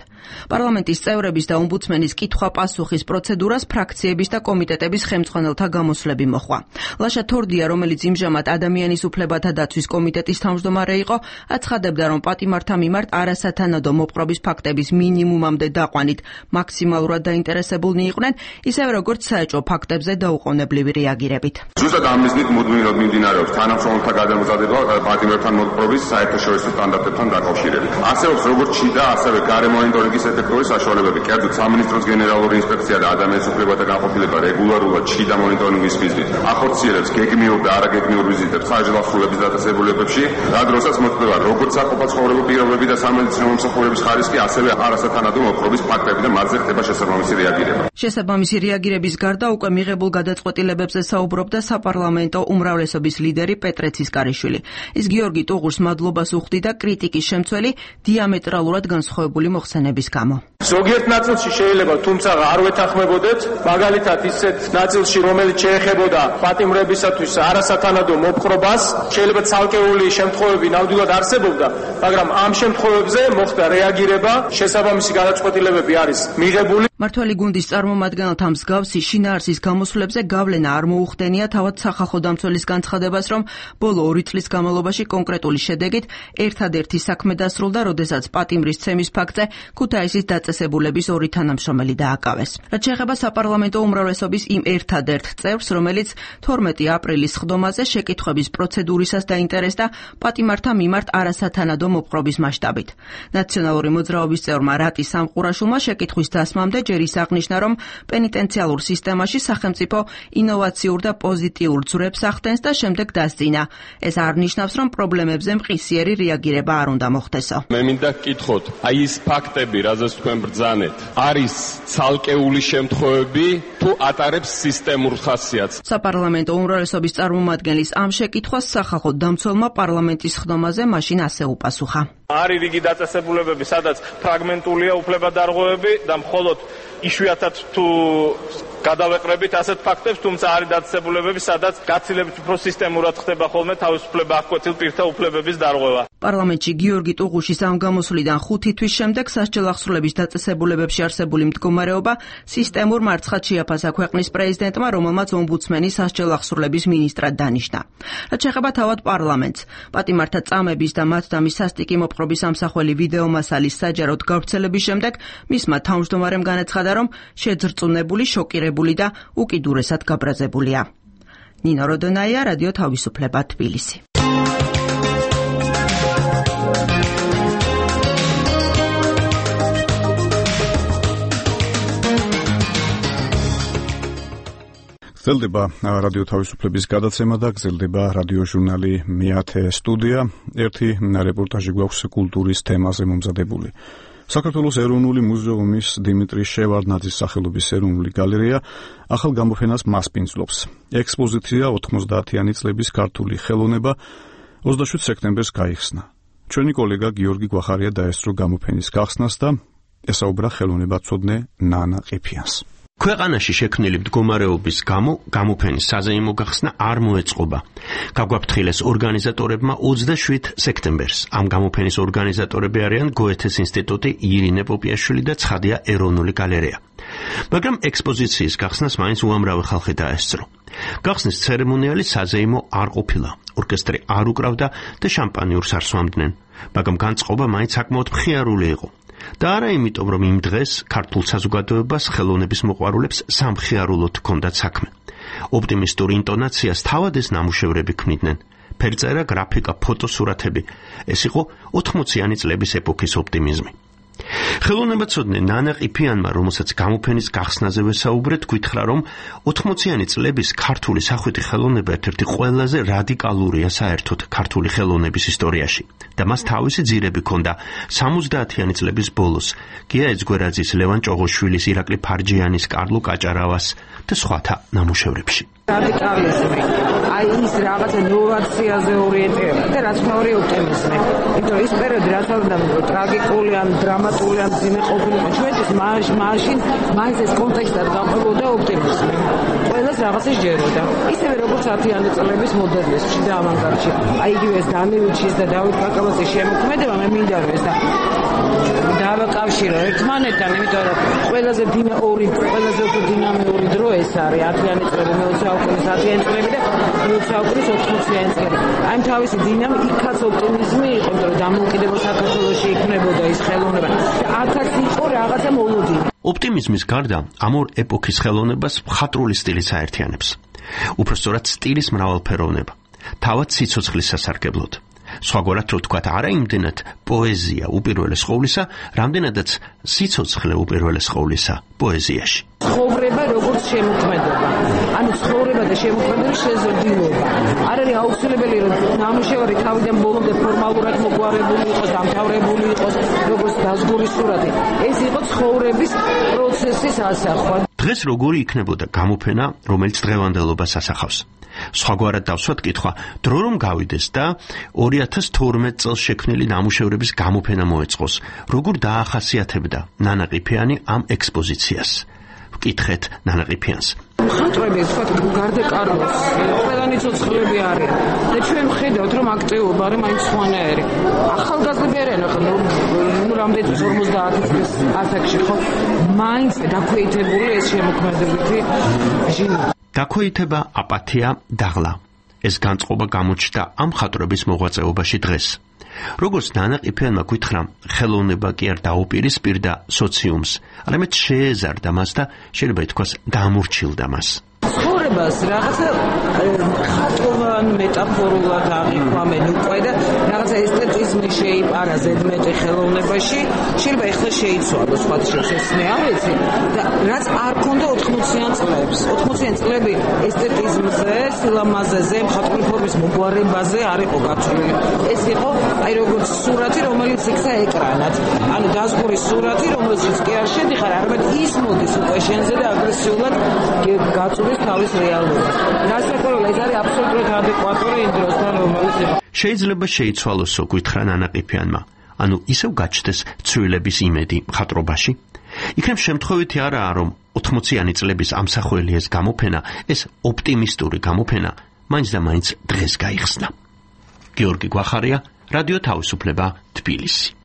პარლამენტის წევრების და ომბუდსმენის კითხვა-პასუხის პროცედურას ფრაქციების და კომიტეტების ხელმძღვანელთა გამოსვლები მოჰყვა. ლაშა თორდია, რომელიც იმჟამად ადამიანის უფლებათა დაცვის კომიტეტის თავმჯდომარე იყო, აცხადებდა, რომ პატიმართა მიმართ არასათანადო მოპყრობის ფაქტების მინიმუმამდე დაყვანით მაქსიმალურად დაინტერესებულნი იყვნენ, ისევე როგორც საეჭვო ფაქტებზე დაუყოვნებლივი რეაგირებით. ზუსტად ამ მიზნით მუდმივად მიმდინარეობს თანამშრომელთა გადამზადება პატიმრებთან მოპყრობის საერთაშორისო სტანდარტებთან დაკავშირებით. არსებობს როგორც შიდა, ასევე გარე მონიტორინგის ეფექტური საშუალებები. კერძოდ სამინისტროს გენერალური ინსპექცია და ადამიანის უფლებათა განყოფილება რეგულარულად შიდა მონიტორინგის მიზნით ახორციელებს გეგმიურ და არაგეგმიურ ვიზიტებს ხარჯლახსრულების დაწესებულებებში, რა დროსაც მოხდება როგორც საყოფაცხოვრებო პირობები და სამედიცინო მომსახურების ხარისხი, ასევე არასათანადო მოპყრობის ფაქტები და მათზე ხდება შესაბამისი რეაგირება. შესაბამისი რეაგირების გარდა უკვე მიღებულ გადაწყვეტილებებზე საუბრობდა საპარლამენტო უმრავლესობის ლიდერი პეტრე ცისკარიშვილი. ის გიორგი ტუღუშს მადლობას უხდიდა კრიტიკის შემცველი დიამეტრალურად განსხვავებული მოხსენების გამო. ზოგიერთ ნაწილში შეიძლება თუმცა არ ვეთანხმებოდეთ, მაგალითად ისეთ ნაწილში, რომელიც შეეხებოდა პატიმრებისათვის არასათანადო მოპყრობას, შეიძლება ცალკეული შემთხვევები ნამდვილად არსებობდა, მაგრამ ამ შემთხვევებზე მოხდა რეაგირება, შესაბამისი გადაწყვეტილებები არის მიღებული. მართველი გუნდის წარმომადგენელთა მსგავსი შინაარსის გამოსვლებზე გავლენა არ მოუხდენია თავად სახალხო დამცველის განცხადებას, რომ ბოლო ორი წლის განმავლობაში კონკრეტული შედეგით ერთადერთი საქმე დასრულდა, როდესაც პატიმრის ცემის ფაქტზე ქუთაისის დაწესებულების ორი თანამშრომელი დააკავეს. რაც შეეხება საპარლამენტო უმრავლესობის იმ ერთადერთ წევრს, რომელიც თორმეტი აპრილის ხდომაზე შეკითხვების პროცედურისას დაინტერესდა პატიმართა მიმართ არასათანადო მოპყრობის მასშტაბით. ნაციონალური მოძრაობის წევრმა რატი სამყურაშვილმა შეკითხვის დასმამდე ჯერ ის აღნიშნა, რომ პენიტენციალურ სისტემაში სახელმწიფო ინოვაციურ და პოზიტიურ ძვრებს ახდენს და შემდეგ დასძინა. ეს არ ნიშნავს, რომ პრობლემებზე მყისიერი რეაგირება არ უნდა მოხდესო. მე მინდა გკითხოთ, აი ის ფაქტები, რაზეც თქვენ ბრძანეთ, არის ცალკეული შემთხვევები თუ ატარებს სისტემურ ხასიათს? საპარლამენტო უმრავლესობის წარმომადგენლის ამ შეკითხვას სახალხო დამცველმა პარლამენტის ხდომაზე მაშინ ასე უპასუხა. არის რიგი დაწესებულებები, სადაც ფრაგმენტულია უფლებადარღვევები და მხოლოდ იშვიათად თუ გადავეყრებით ასეთ ფაქტებს, თუმცა არის დაწესებულებები, სადაც გაცილებით უფრო სისტემურად ხდება ხოლმე თავისუფლება აღკვეთილ პირთა უფლებების დარღვევა. პარლამენტში გიორგი ტუღუშის ამ გამოსვლიდან ხუთი თვის შემდეგ სასჯელახსრულების დაწესებულებებში არსებული მდგომარეობა სისტემურ მარცხად შეაფასა ქვეყნის პრეზიდენტმა, რომელმაც ომბუდსმენი სასჯელახსრულების მინისტრად დანიშნა. რაც შეეხება თავად პარლამენტს, პატიმართა წამების და მათდამი სასტიკი მოპყრობის ამსახველი ვიდეომასალის საჯაროდ გავრცელების შემდეგ მისმა თავმჯდომარემ განაცხადა, რომ შეძრწუნებული, შოკირებული და უკიდურესად გაბრაზებულია. ნინო როდონაია, რადიო თავისუფლება, თბილისი. გრძელდება რადიო თავისუფლების გადაცემა და გრძელდება რადიო ჟურნალი მეათე სტუდია. ერთი რეპორტაჟი გვაქვს კულტურის თემაზე მომზადებული. საქართველოს ეროვნული მუზეუმის დიმიტრი შევარდნაძის სახელობის ეროვნული გალერეა ახალ გამოფენას მასპინძლობს. ექსპოზიცია ოთხმოცდაათიანი წლების ქართული ხელოვნება ოცდაშვიდ სექტემბერს გაიხსნა. ჩვენი კოლეგა გიორგი გვახარია დაესწრო გამოფენის გახსნას და ესაუბრა ხელოვნებაცოდნე ნანა ყიფიანს. ქვეყანაში შექმნილი მდგომარეობის გამო გამოფენის საზეიმო გახსნა არ მოეწყობა. გაგვაფრთხილეს ორგანიზატორებმა ოცდაშვიდ სექტემბერს. ამ გამოფენის ორგანიზატორები არიან გოეთეს ინსტიტუტი, ირინე პოპიაშვილი და ცხადია ეროვნული გალერეა. მაგრამ ექსპოზიციის გახსნას მაინც უამრავი ხალხი დაესწრო. გახსნის ცერემონიალი საზეიმო არ ყოფილა. ორკესტრი არ უკრავდა და შამპანიურს არ სვამდნენ. მაგრამ განწყობა მაინც საკმაოდ მხიარული იყო. და არა იმიტომ, რომ იმ დღეს ქართულ საზოგადოებას ხელოვნების მოყვარულებს სამხიარულოდ ჰქონდათ საქმე. ოპტიმისტურ ინტონაციას თავად ეს ნამუშევრები ქმნიდნენ. ფერწერა, გრაფიკა, ფოტოსურათები. ეს იყო ოთხმოციანი წლების ეპოქის ოპტიმიზმი. ხელოვნებაცოდნე ნანა ყიფიანმა, რომელსაც გამოფენის გახსნაზე ვესაუბრეთ, გითხრა, რომ ოთხმოციანი წლების ქართული სახვითი ხელოვნება ერთ-ერთი ყველაზე რადიკალურია საერთოდ ქართული ხელოვნების ისტორიაში და მას თავისი ძირები ჰქონდა სამოცდაათიანი წლების ბოლოს გია ეძგვერაძის, ლევან ჭოღოშვილის, ირაკლი ფარჯიანის, კარლო კაჭარავას და სხვათა ნამუშევრებში. რადიკალიზმი, აი ის რაღაცა ნოვაციაზე ორიენტირება და რაც მეორე ოპტიმიზმი. იმიტომ ის პერიოდი რასაც ტრაგიკული ან დრამატული ან ძიმე ყოფილიყო ჩვენთვის მაშინ მაინც ეს კონტექსტად გამყოლოდა ოპტიმიზმი. ყველას რაღაცა ჯეროდა. ისევე როგორც ათიანი წლების მოდერნიზმში და ავანგარდში. აი იგივე ეს დანილჩის და დავით კაკაბაძის შემოქმედება მე მინდა რომ ეს და დავაკავშირო ერთმანეთთან, იმიტომ რომ ყველაზე დინა ორი ყველაზე უფრო დინამიური დრო ეს არის ათიანი წლები, მეოცე საუკუნის ათიანი წლები და მეოცე საუკუნის ოთხმოციანი წლები. აი თავისი დინამი იქაც ოპტიმიზმი იყო, იმიტომ რომ დამოუკიდებელ საქართველოში იქნებოდა ის ხელოვნება და აქაც იყო რაღაცა მოლოდინი. ოპტიმიზმის გარდა ამ ორ ეპოქის ხელოვნებას მხატვრული სტილიც აერთიანებს. უпростоრად სტილის მრავალფეროვნება, თავად სიცოცხლის სასარგებლოდ. სხვაგვარად რო თქვათ, არა იმდენად პოეზია უპირველეს ყოვლისა, რამდენადაც სიცოცხლე უპირველეს ყოვლისა პოეზიაში. ცხოვრება როგორც შემოქმედება. ანუ ცხოვრება და შემოქმედება შეზრდილობა. არ არის აუცილებელი რომ ნამუშევარი თავიდან ბოლომდე ფორმალურად მოგვარებული იყოს, დამთავრებული იყოს, როგორც დაზგური სურათი. ეს იყო ცხოვრების პროცესის ასახვა. დღეს როგორი იქნებოდა გამოფენა, რომელიც დღევანდელობას ასახავს? სხვაგვარად დავსვათ კითხვა, დრო რომ გავიდეს და ორი ათას თორმეტ წელს შექმნილი ნამუშევრების გამოფენა მოეწყოს, როგორ დაახასიათებდა ნანა ყიფიანი ამ ექსპოზიციას? ვკითხეთ ნანა ყიფიანს. მხატვრები თქვათ გარდა კარლოს ყველანი ცოცხლები არიან და ჩვენ ვხედავთ რომ აქტიურობა არის მაინც სხვანაირი. ახალგაზრდები არიან ახლა ნუ რამდენი ორმოცდაათი წლის ასაკში ხო მაინც დაქვეითებული ეს შემოქმედებითი ჟინა. დაქვეითება, აპათია, დაღლა. ეს განწყობა გამოჩნდა ამ მხატვრების მოღვაწეობაში დღეს. როგორც ნანა ყიფიანმა გითხრა, ხელოვნება კი არ დაუპირისპირდა სოციუმს, არამედ შეეზარდა მას და შეიძლება ითქვას დამორჩილდა მას. ცხოვრებას რაღაცა ხატოვან მეტაფორულად აღიქვამენ უკვე და რაღაცა ესთეტიზმი შეიპარა ზედმეტი ხელოვნებაში, შეიძლება ეხლა შეიცვალოს სხვა შორის ეს მე არ ვიცი და რაც არ ქონდა ოთხმოციან წლებს. ოთხმოციანი წლები ესთეტიზმზე, სილამაზეზე, მხატვრული ფორმის მოგვარებაზე არ იყო გაწოლილი. ეს იყო აი როგორც სურათი, რომელიც იქცა ეკრანად. ანუ დაზგური სურათი, რომელშიც კი არ შედიხარ, არამედ ის მოდის უკვე შენზე და აგრესიულად გაწულის თავის რეალობას. გასაკეთებელი ეს არის აბსოლუტურად ადეკვატური იმ დროსთან, რომელიც იყო. შეიძლება შეიცვალოსო, გითხრა ნანა ყიფიანმა. ანუ ისევ გაჩნდეს ცვლილების იმედი მხატვრობაში? იქნებ შემთხვევითი არაა, რომ ოთხმოციანი წლების ამსახველი ეს გამოფენა, ეს ოპტიმისტური გამოფენა, მაინც და მაინც დღეს გაიხსნა. გიორგი გვახარია, რადიო თავისუფლება, თბილისი.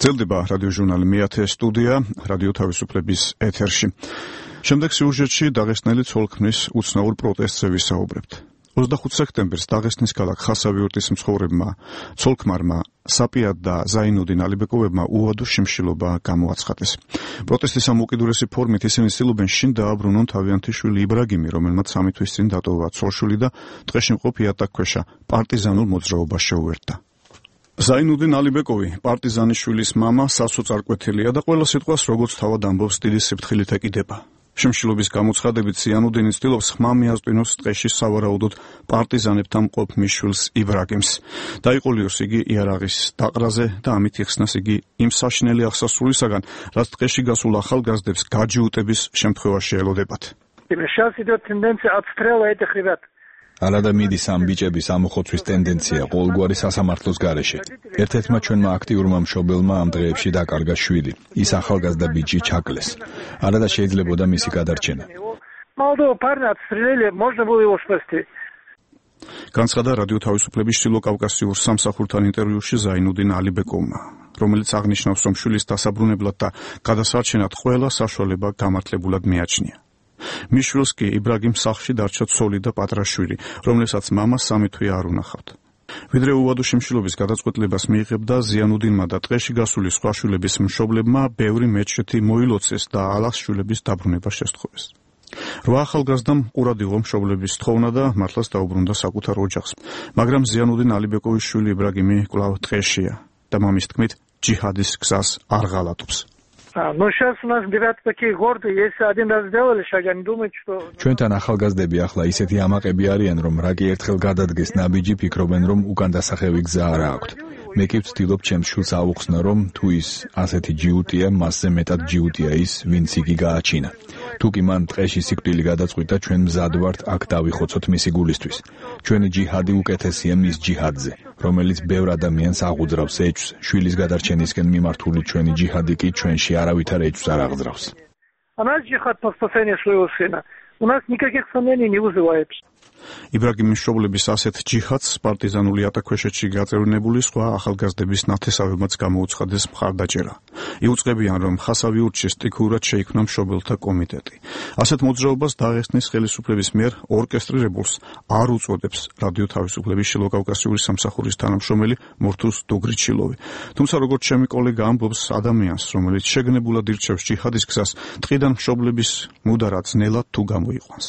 გრძელდება რადიო ჟურნალი მეათე სტუდია, რადიო თავისუფლების ეთერში. შემდეგ სიუჟეტში დაღესტნელი ცოლ-ქმრის უცნაურ პროტესტზე ვისაუბრებთ. ოცდახუთი სექტემბერს დაღესტნის ქალაქ ხასავიურტის მცხოვრებმა ცოლ-ქმარმა საპიად და ზაინუდინ ალიბეკოვებმა უვადო შიმშილობა გამოაცხადეს. პროტესტის ამ უკიდურესი ფორმით ისინი ცდილობენ შინ დააბრუნონ თავიანთი შვილი იბრაგიმი, რომელმაც სამი თვის წინ დატოვა ცოლ-შვილი და ტყეში მყოფ იატაკქვეშა პარტიზანულ მოძრაობას შეუერთდა. ზაინუდინ ალიბეკოვი, პარტიზანის შვილის მამა, სასოწარკვეთილია და ყველა სიტყვას როგორც თავად ამბობს დიდი სიფრთხილით ეკიდება. შემშილობის გამოცხადებით ზიანუდინი ცდილობს ხმა მიაწვინოს ტყეში სავარაუდოდ პარტიზანებთან მყოფ მიშვილს იბრაგიმს. დაიყოლიოს იგი იარაღის დაყრაზე და ამით იხსნას იგი იმ საშინელი აღსასრულისაგან, რაც ტყეში გასულ ახალგაზრდებს გაჯიუტების შემთხვევაში ელოდებათ. Сейчас идет тенденция отстрела этих ребят. ალადა მიდის ამ ბიჭების ამოხოცვის ტენდენცია ყოველგვარი სასამართლოს გარეშე. ერთ-ერთმა ჩვენმა აქტიურმა მშობელმა ამ დღეებში დაკარგა შვილი. ის ახალგაზრდა ბიჭი ჩაკლეს. ალადა შეიძლებოდა მისი გადარჩენა. Молодого парня отстрелили, можно было его спасти. განცხადა რადიო თავისუფლების ჩრდილოკავკასიურ სამსახურთან ინტერვიუში ზაინუდინ ალიბეკოვმა, რომელიც აღნიშნავს, რომ შვილის დასაბრუნებლად და გადასარჩენად ყველა საშუალება გამართლებულად მიაჩნია. მიშვილს კი იბრაგიმ სახლში დარჩა ცოლი და პატრაშვილი, რომლებსაც მამა სამი თვე არ უნახავთ. ვიდრე უვადო შემშილობის გადაწყვეტილებას მიიღებდა, ზიანუდინმა და ტყეში გასული სხვა შვილების მშობლებმა ბევრი მეჩეთი მოილოცეს და ალას შვილების დაბრუნება შესთხოვეს. რვა ახალგაზრდამ ყურადღება მშობლების თხოვნა და მართლაც დაუბრუნდა საკუთარ ოჯახს, მაგრამ ზიანუდინ ალიბეკოვის შვილი იბრაგიმი კვლავ ტყეშია და მამის თქმით ჯიჰადის გზას არ ღალატობს. Ну сейчас у нас ребята такие гордые, если один раз сделали шаг, они думают, что ჩვენთან ახალგაზრდები ახლა ისეთი ამაყები არიან, რომ რა კი ერთხელ გადადგეს ნაბიჯი, ფიქრობენ, რომ უკან დასახევი გზა არ აქვთ. მე კი ვცდილობ ჩემს შვილს აუხსნა, რომ თუ ის ასეთი ჯიუტია, მასზე მეტად ჯიუტია ის, ვინც იგი გააჩინა. თუ კი მან ტყეში სიკვდილი გადაწყვიტა, ჩვენ მზად ვართ აქ დავიხოცოთ მისი გულისთვის. ჩვენი ჯიჰადი უკეთესია მის ჯიჰადზე, რომელიც ბევრ ადამიანს აღუძრავს ეჭვს. შვილის გადარჩენისკენ მიმართული ჩვენი ჯიჰადი კი ჩვენში არავითარ ეჭვს არ აღძრავს. А наш джихад по спасению своего сына у нас никаких сомнений не вызывает. იბრაგიმის მშობლების ასეთ ჯიჰადს პარტიზანული ატაქვეშეთში გაწევრინებული სხვა ახალგაზრდების ნათესავებმაც გამოუცხადეს მხარდაჭერა. იუწყებიან, რომ ხასავი ურჩის სტიქიურად შეიქმნა მშობელთა კომიტეტი. ასეთ მოძრაობას დაღესტნის ხელისუფლების მიერ ორკესტრირებულს არ უწოდებს რადიო თავისუფლების შილოკავკასიური სამსახურის თანამშრომელი მურთუს დუგრიჩილოვი. თუმცა როგორც ჩემი კოლეგა ამბობს, ადამიანს, რომელიც შეგნებულად ირჩევს ჯიჰადის გზას, ტყიდან მშობლების მუდარა ძნელად თუ გამოიყვანს.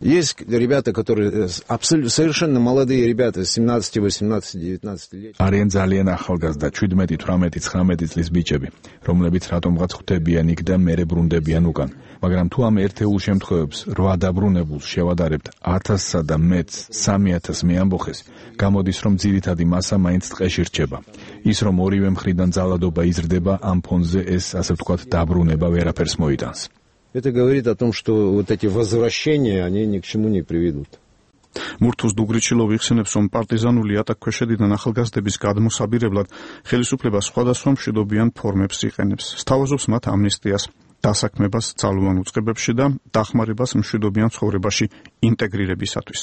Есть ребята, которые абсолютно совершенно молодые ребята, семнадцать, восемнадцать, девятнадцать лет. არიან ძალიან ახალგაზრდა, შვიდმეტი, თვრამეტი, ცხრამეტი წლის ბიჭები, რომლებიც რატომღაც ხვდებიან იქ და მერე ბრუნდებიან უკან. მაგრამ თუ ამ ერთეულ შემთხვევებს რვა დაბრუნებულს შევადარებთ ათასსა და მეც სამი ათასს მეამბოხეს, გამოდის, რომ ძირითადი მასა მაინც ტყეში რჩება. ის, რომ ორივე მხრიდან ძალადობა იზრდება, ამ ფონზე ეს, ასე ვთქვათ, დაბრუნება ვერაფერს მოიტანს. Это говорит о том, что вот эти возвращения, они ни к чему не приведут. მურთუს დუგრიჩილოვი იხსენებს, რომ პარტიზანული ატაქვეშედიდან ახალგაზრდების გადმოსაბირებლად ხელისუფლება სხვადასხვა მშვიდობიან ფორმებს იყენებს. სთავაზობს მათ ამნისტიას, დასაქმებას ძალოვან უწყებებში და დახმარებას მშვიდობიან ცხოვრებაში ინტეგრირებისათვის.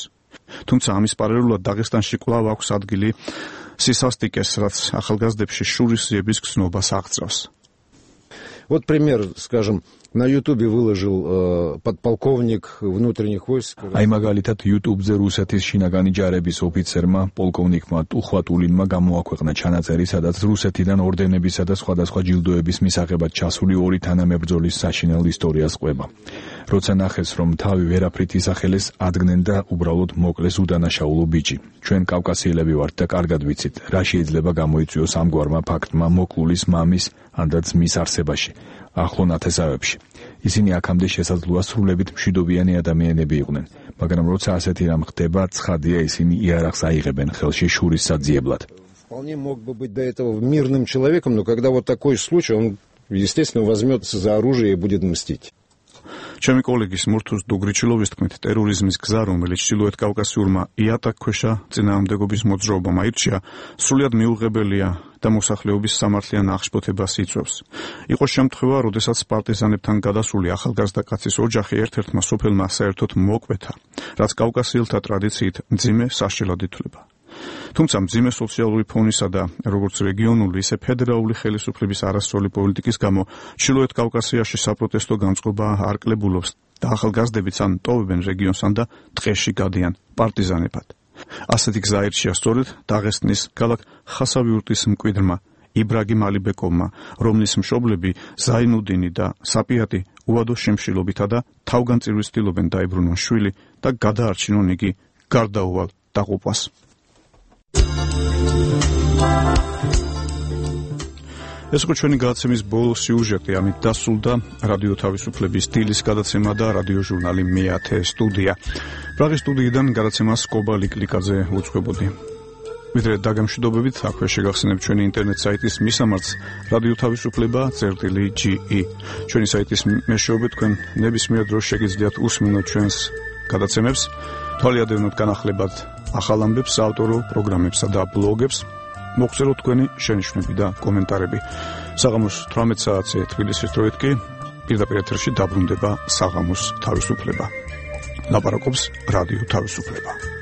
თუმცა ამის პარალელურად დაღესტანში კვლავ აქვს ადგილი სისასტიკეს, რაც ახალგაზრდებში შურისძიების გზნობას აღწევს. Вот пример, скажем, на Ютубе выложил э, подполковник внутренних войск. Აი მაგალითად YouTube-ზე რუსეთის შინაგანი ჯარების ოფიცერმა, პოლკოვნიკმა ტუხვატულინმა გამოაქვეყნა ჩანაწერი, სადაც რუსეთიდან ორდენებისა და სხვადასხვა ჯილდოების მისაღებად ჩასული ორი თანამებრძოლის საშინელ ისტორიას ყვება. როცა ნახეს, რომ თავი ვერაფრით ისახელეს, ადგენენ და უბრალოდ მოკლეს უდანაშაულო ბიჭი. ჩვენ კავკასიელები ვართ და კარგად ვიცით, რა შეიძლება გამოიწვიოს ამგვარმა ფაქტმა მოკლულის მამის ან და ძმის არსებაში, ახლო ნათესავებში. ისინი აქამდე შესაძლოა სრულებით მშვიდობიანი ადამიანები იყვნენ, მაგრამ როცა ასეთი რამ ხდება, ცხადია ისინი იარაღს აიღებენ ხელში შურის საძიებლად. Вполне мог бы быть до этого мирным человеком, но когда вот такой случай, он, естественно, возьмется за оружие и будет мстить. ჩემი კოლეგის მურთუს დუგრიჩილოვის თქმით, ტერორიზმის გზა, რომელიც ჩრდილოეთ კავკასიურმა იატაკქვეშა წინააღმდეგობის მოძრაობამ აირჩია, სრულიად მიუღებელია და მოსახლეობის სამართლიან აღშფოთებას იწვევს. იყო შემთხვევა, როდესაც პარტიზანებთან გადასული ახალგაზრდა კაცის ოჯახი ერთ-ერთმა სოფელმა საერთოდ მოკვეთა, რაც კავკასიელთა ტრადიციით მძიმე სასჯელად ითვლება. თუმცა მძიმე სოციალური ფონისა და როგორც რეგიონული, ისე ფედერალური ხელისუფლების არასწორი პოლიტიკის გამო ჩრდილოეთ კავკასიაში საპროტესტო განწყობა არ კლებულობს და ახალგაზრდებიც ან ტოვებენ რეგიონს ან და ტყეში გადიან პარტიზანებად. ასეთი გზა აირჩია სწორედ დაღესტნის ქალაქ ხასავიურტის მკვიდრმა იბრაგიმ ალიბეკოვმა, რომლის მშობლები ზაინუდინი და საპიატი უვადო შემშილობითა და თავგანწირვის ცდილობენ დაებრუნონ შვილი და გადაარჩინონ იგი გარდაუვალ დაყოფას. ეს იყო ჩვენი გადაცემის ბოლო სიუჟეტი, ამით დასრულდა რადიო თავისუფლების დილის გადაცემა და რადიოჟურნალი მეათე სტუდია. პრაღის სტუდიიდან გადაცემას კობა ლიკლიკაძე უძღვებოდი. ვიდრე დაგემშვიდობებით, აქვე შეგახსენებთ ჩვენი ინტერნეტ საიტის მისამართს რადიო თავისუფლება წერტილი ჯი ი. ჩვენი საიტის მეშვეობით თქვენ ნებისმიერ დროს შეგიძლიათ უსმინოთ ჩვენს გადაცემებს, თვალიადევნოთ განახლებად ახალ ამბებს, საავტორო პროგრამებსა და ბლოგებს. მოგწეროთ თქვენი შენიშვნები და კომენტარები. საღამოს თვრამეტ საათზე თბილისის დროით კი პირდაპირ ეთერში დაბრუნდება საღამოს თავისუფლება. ლაპარაკობს რადიო თავისუფლება.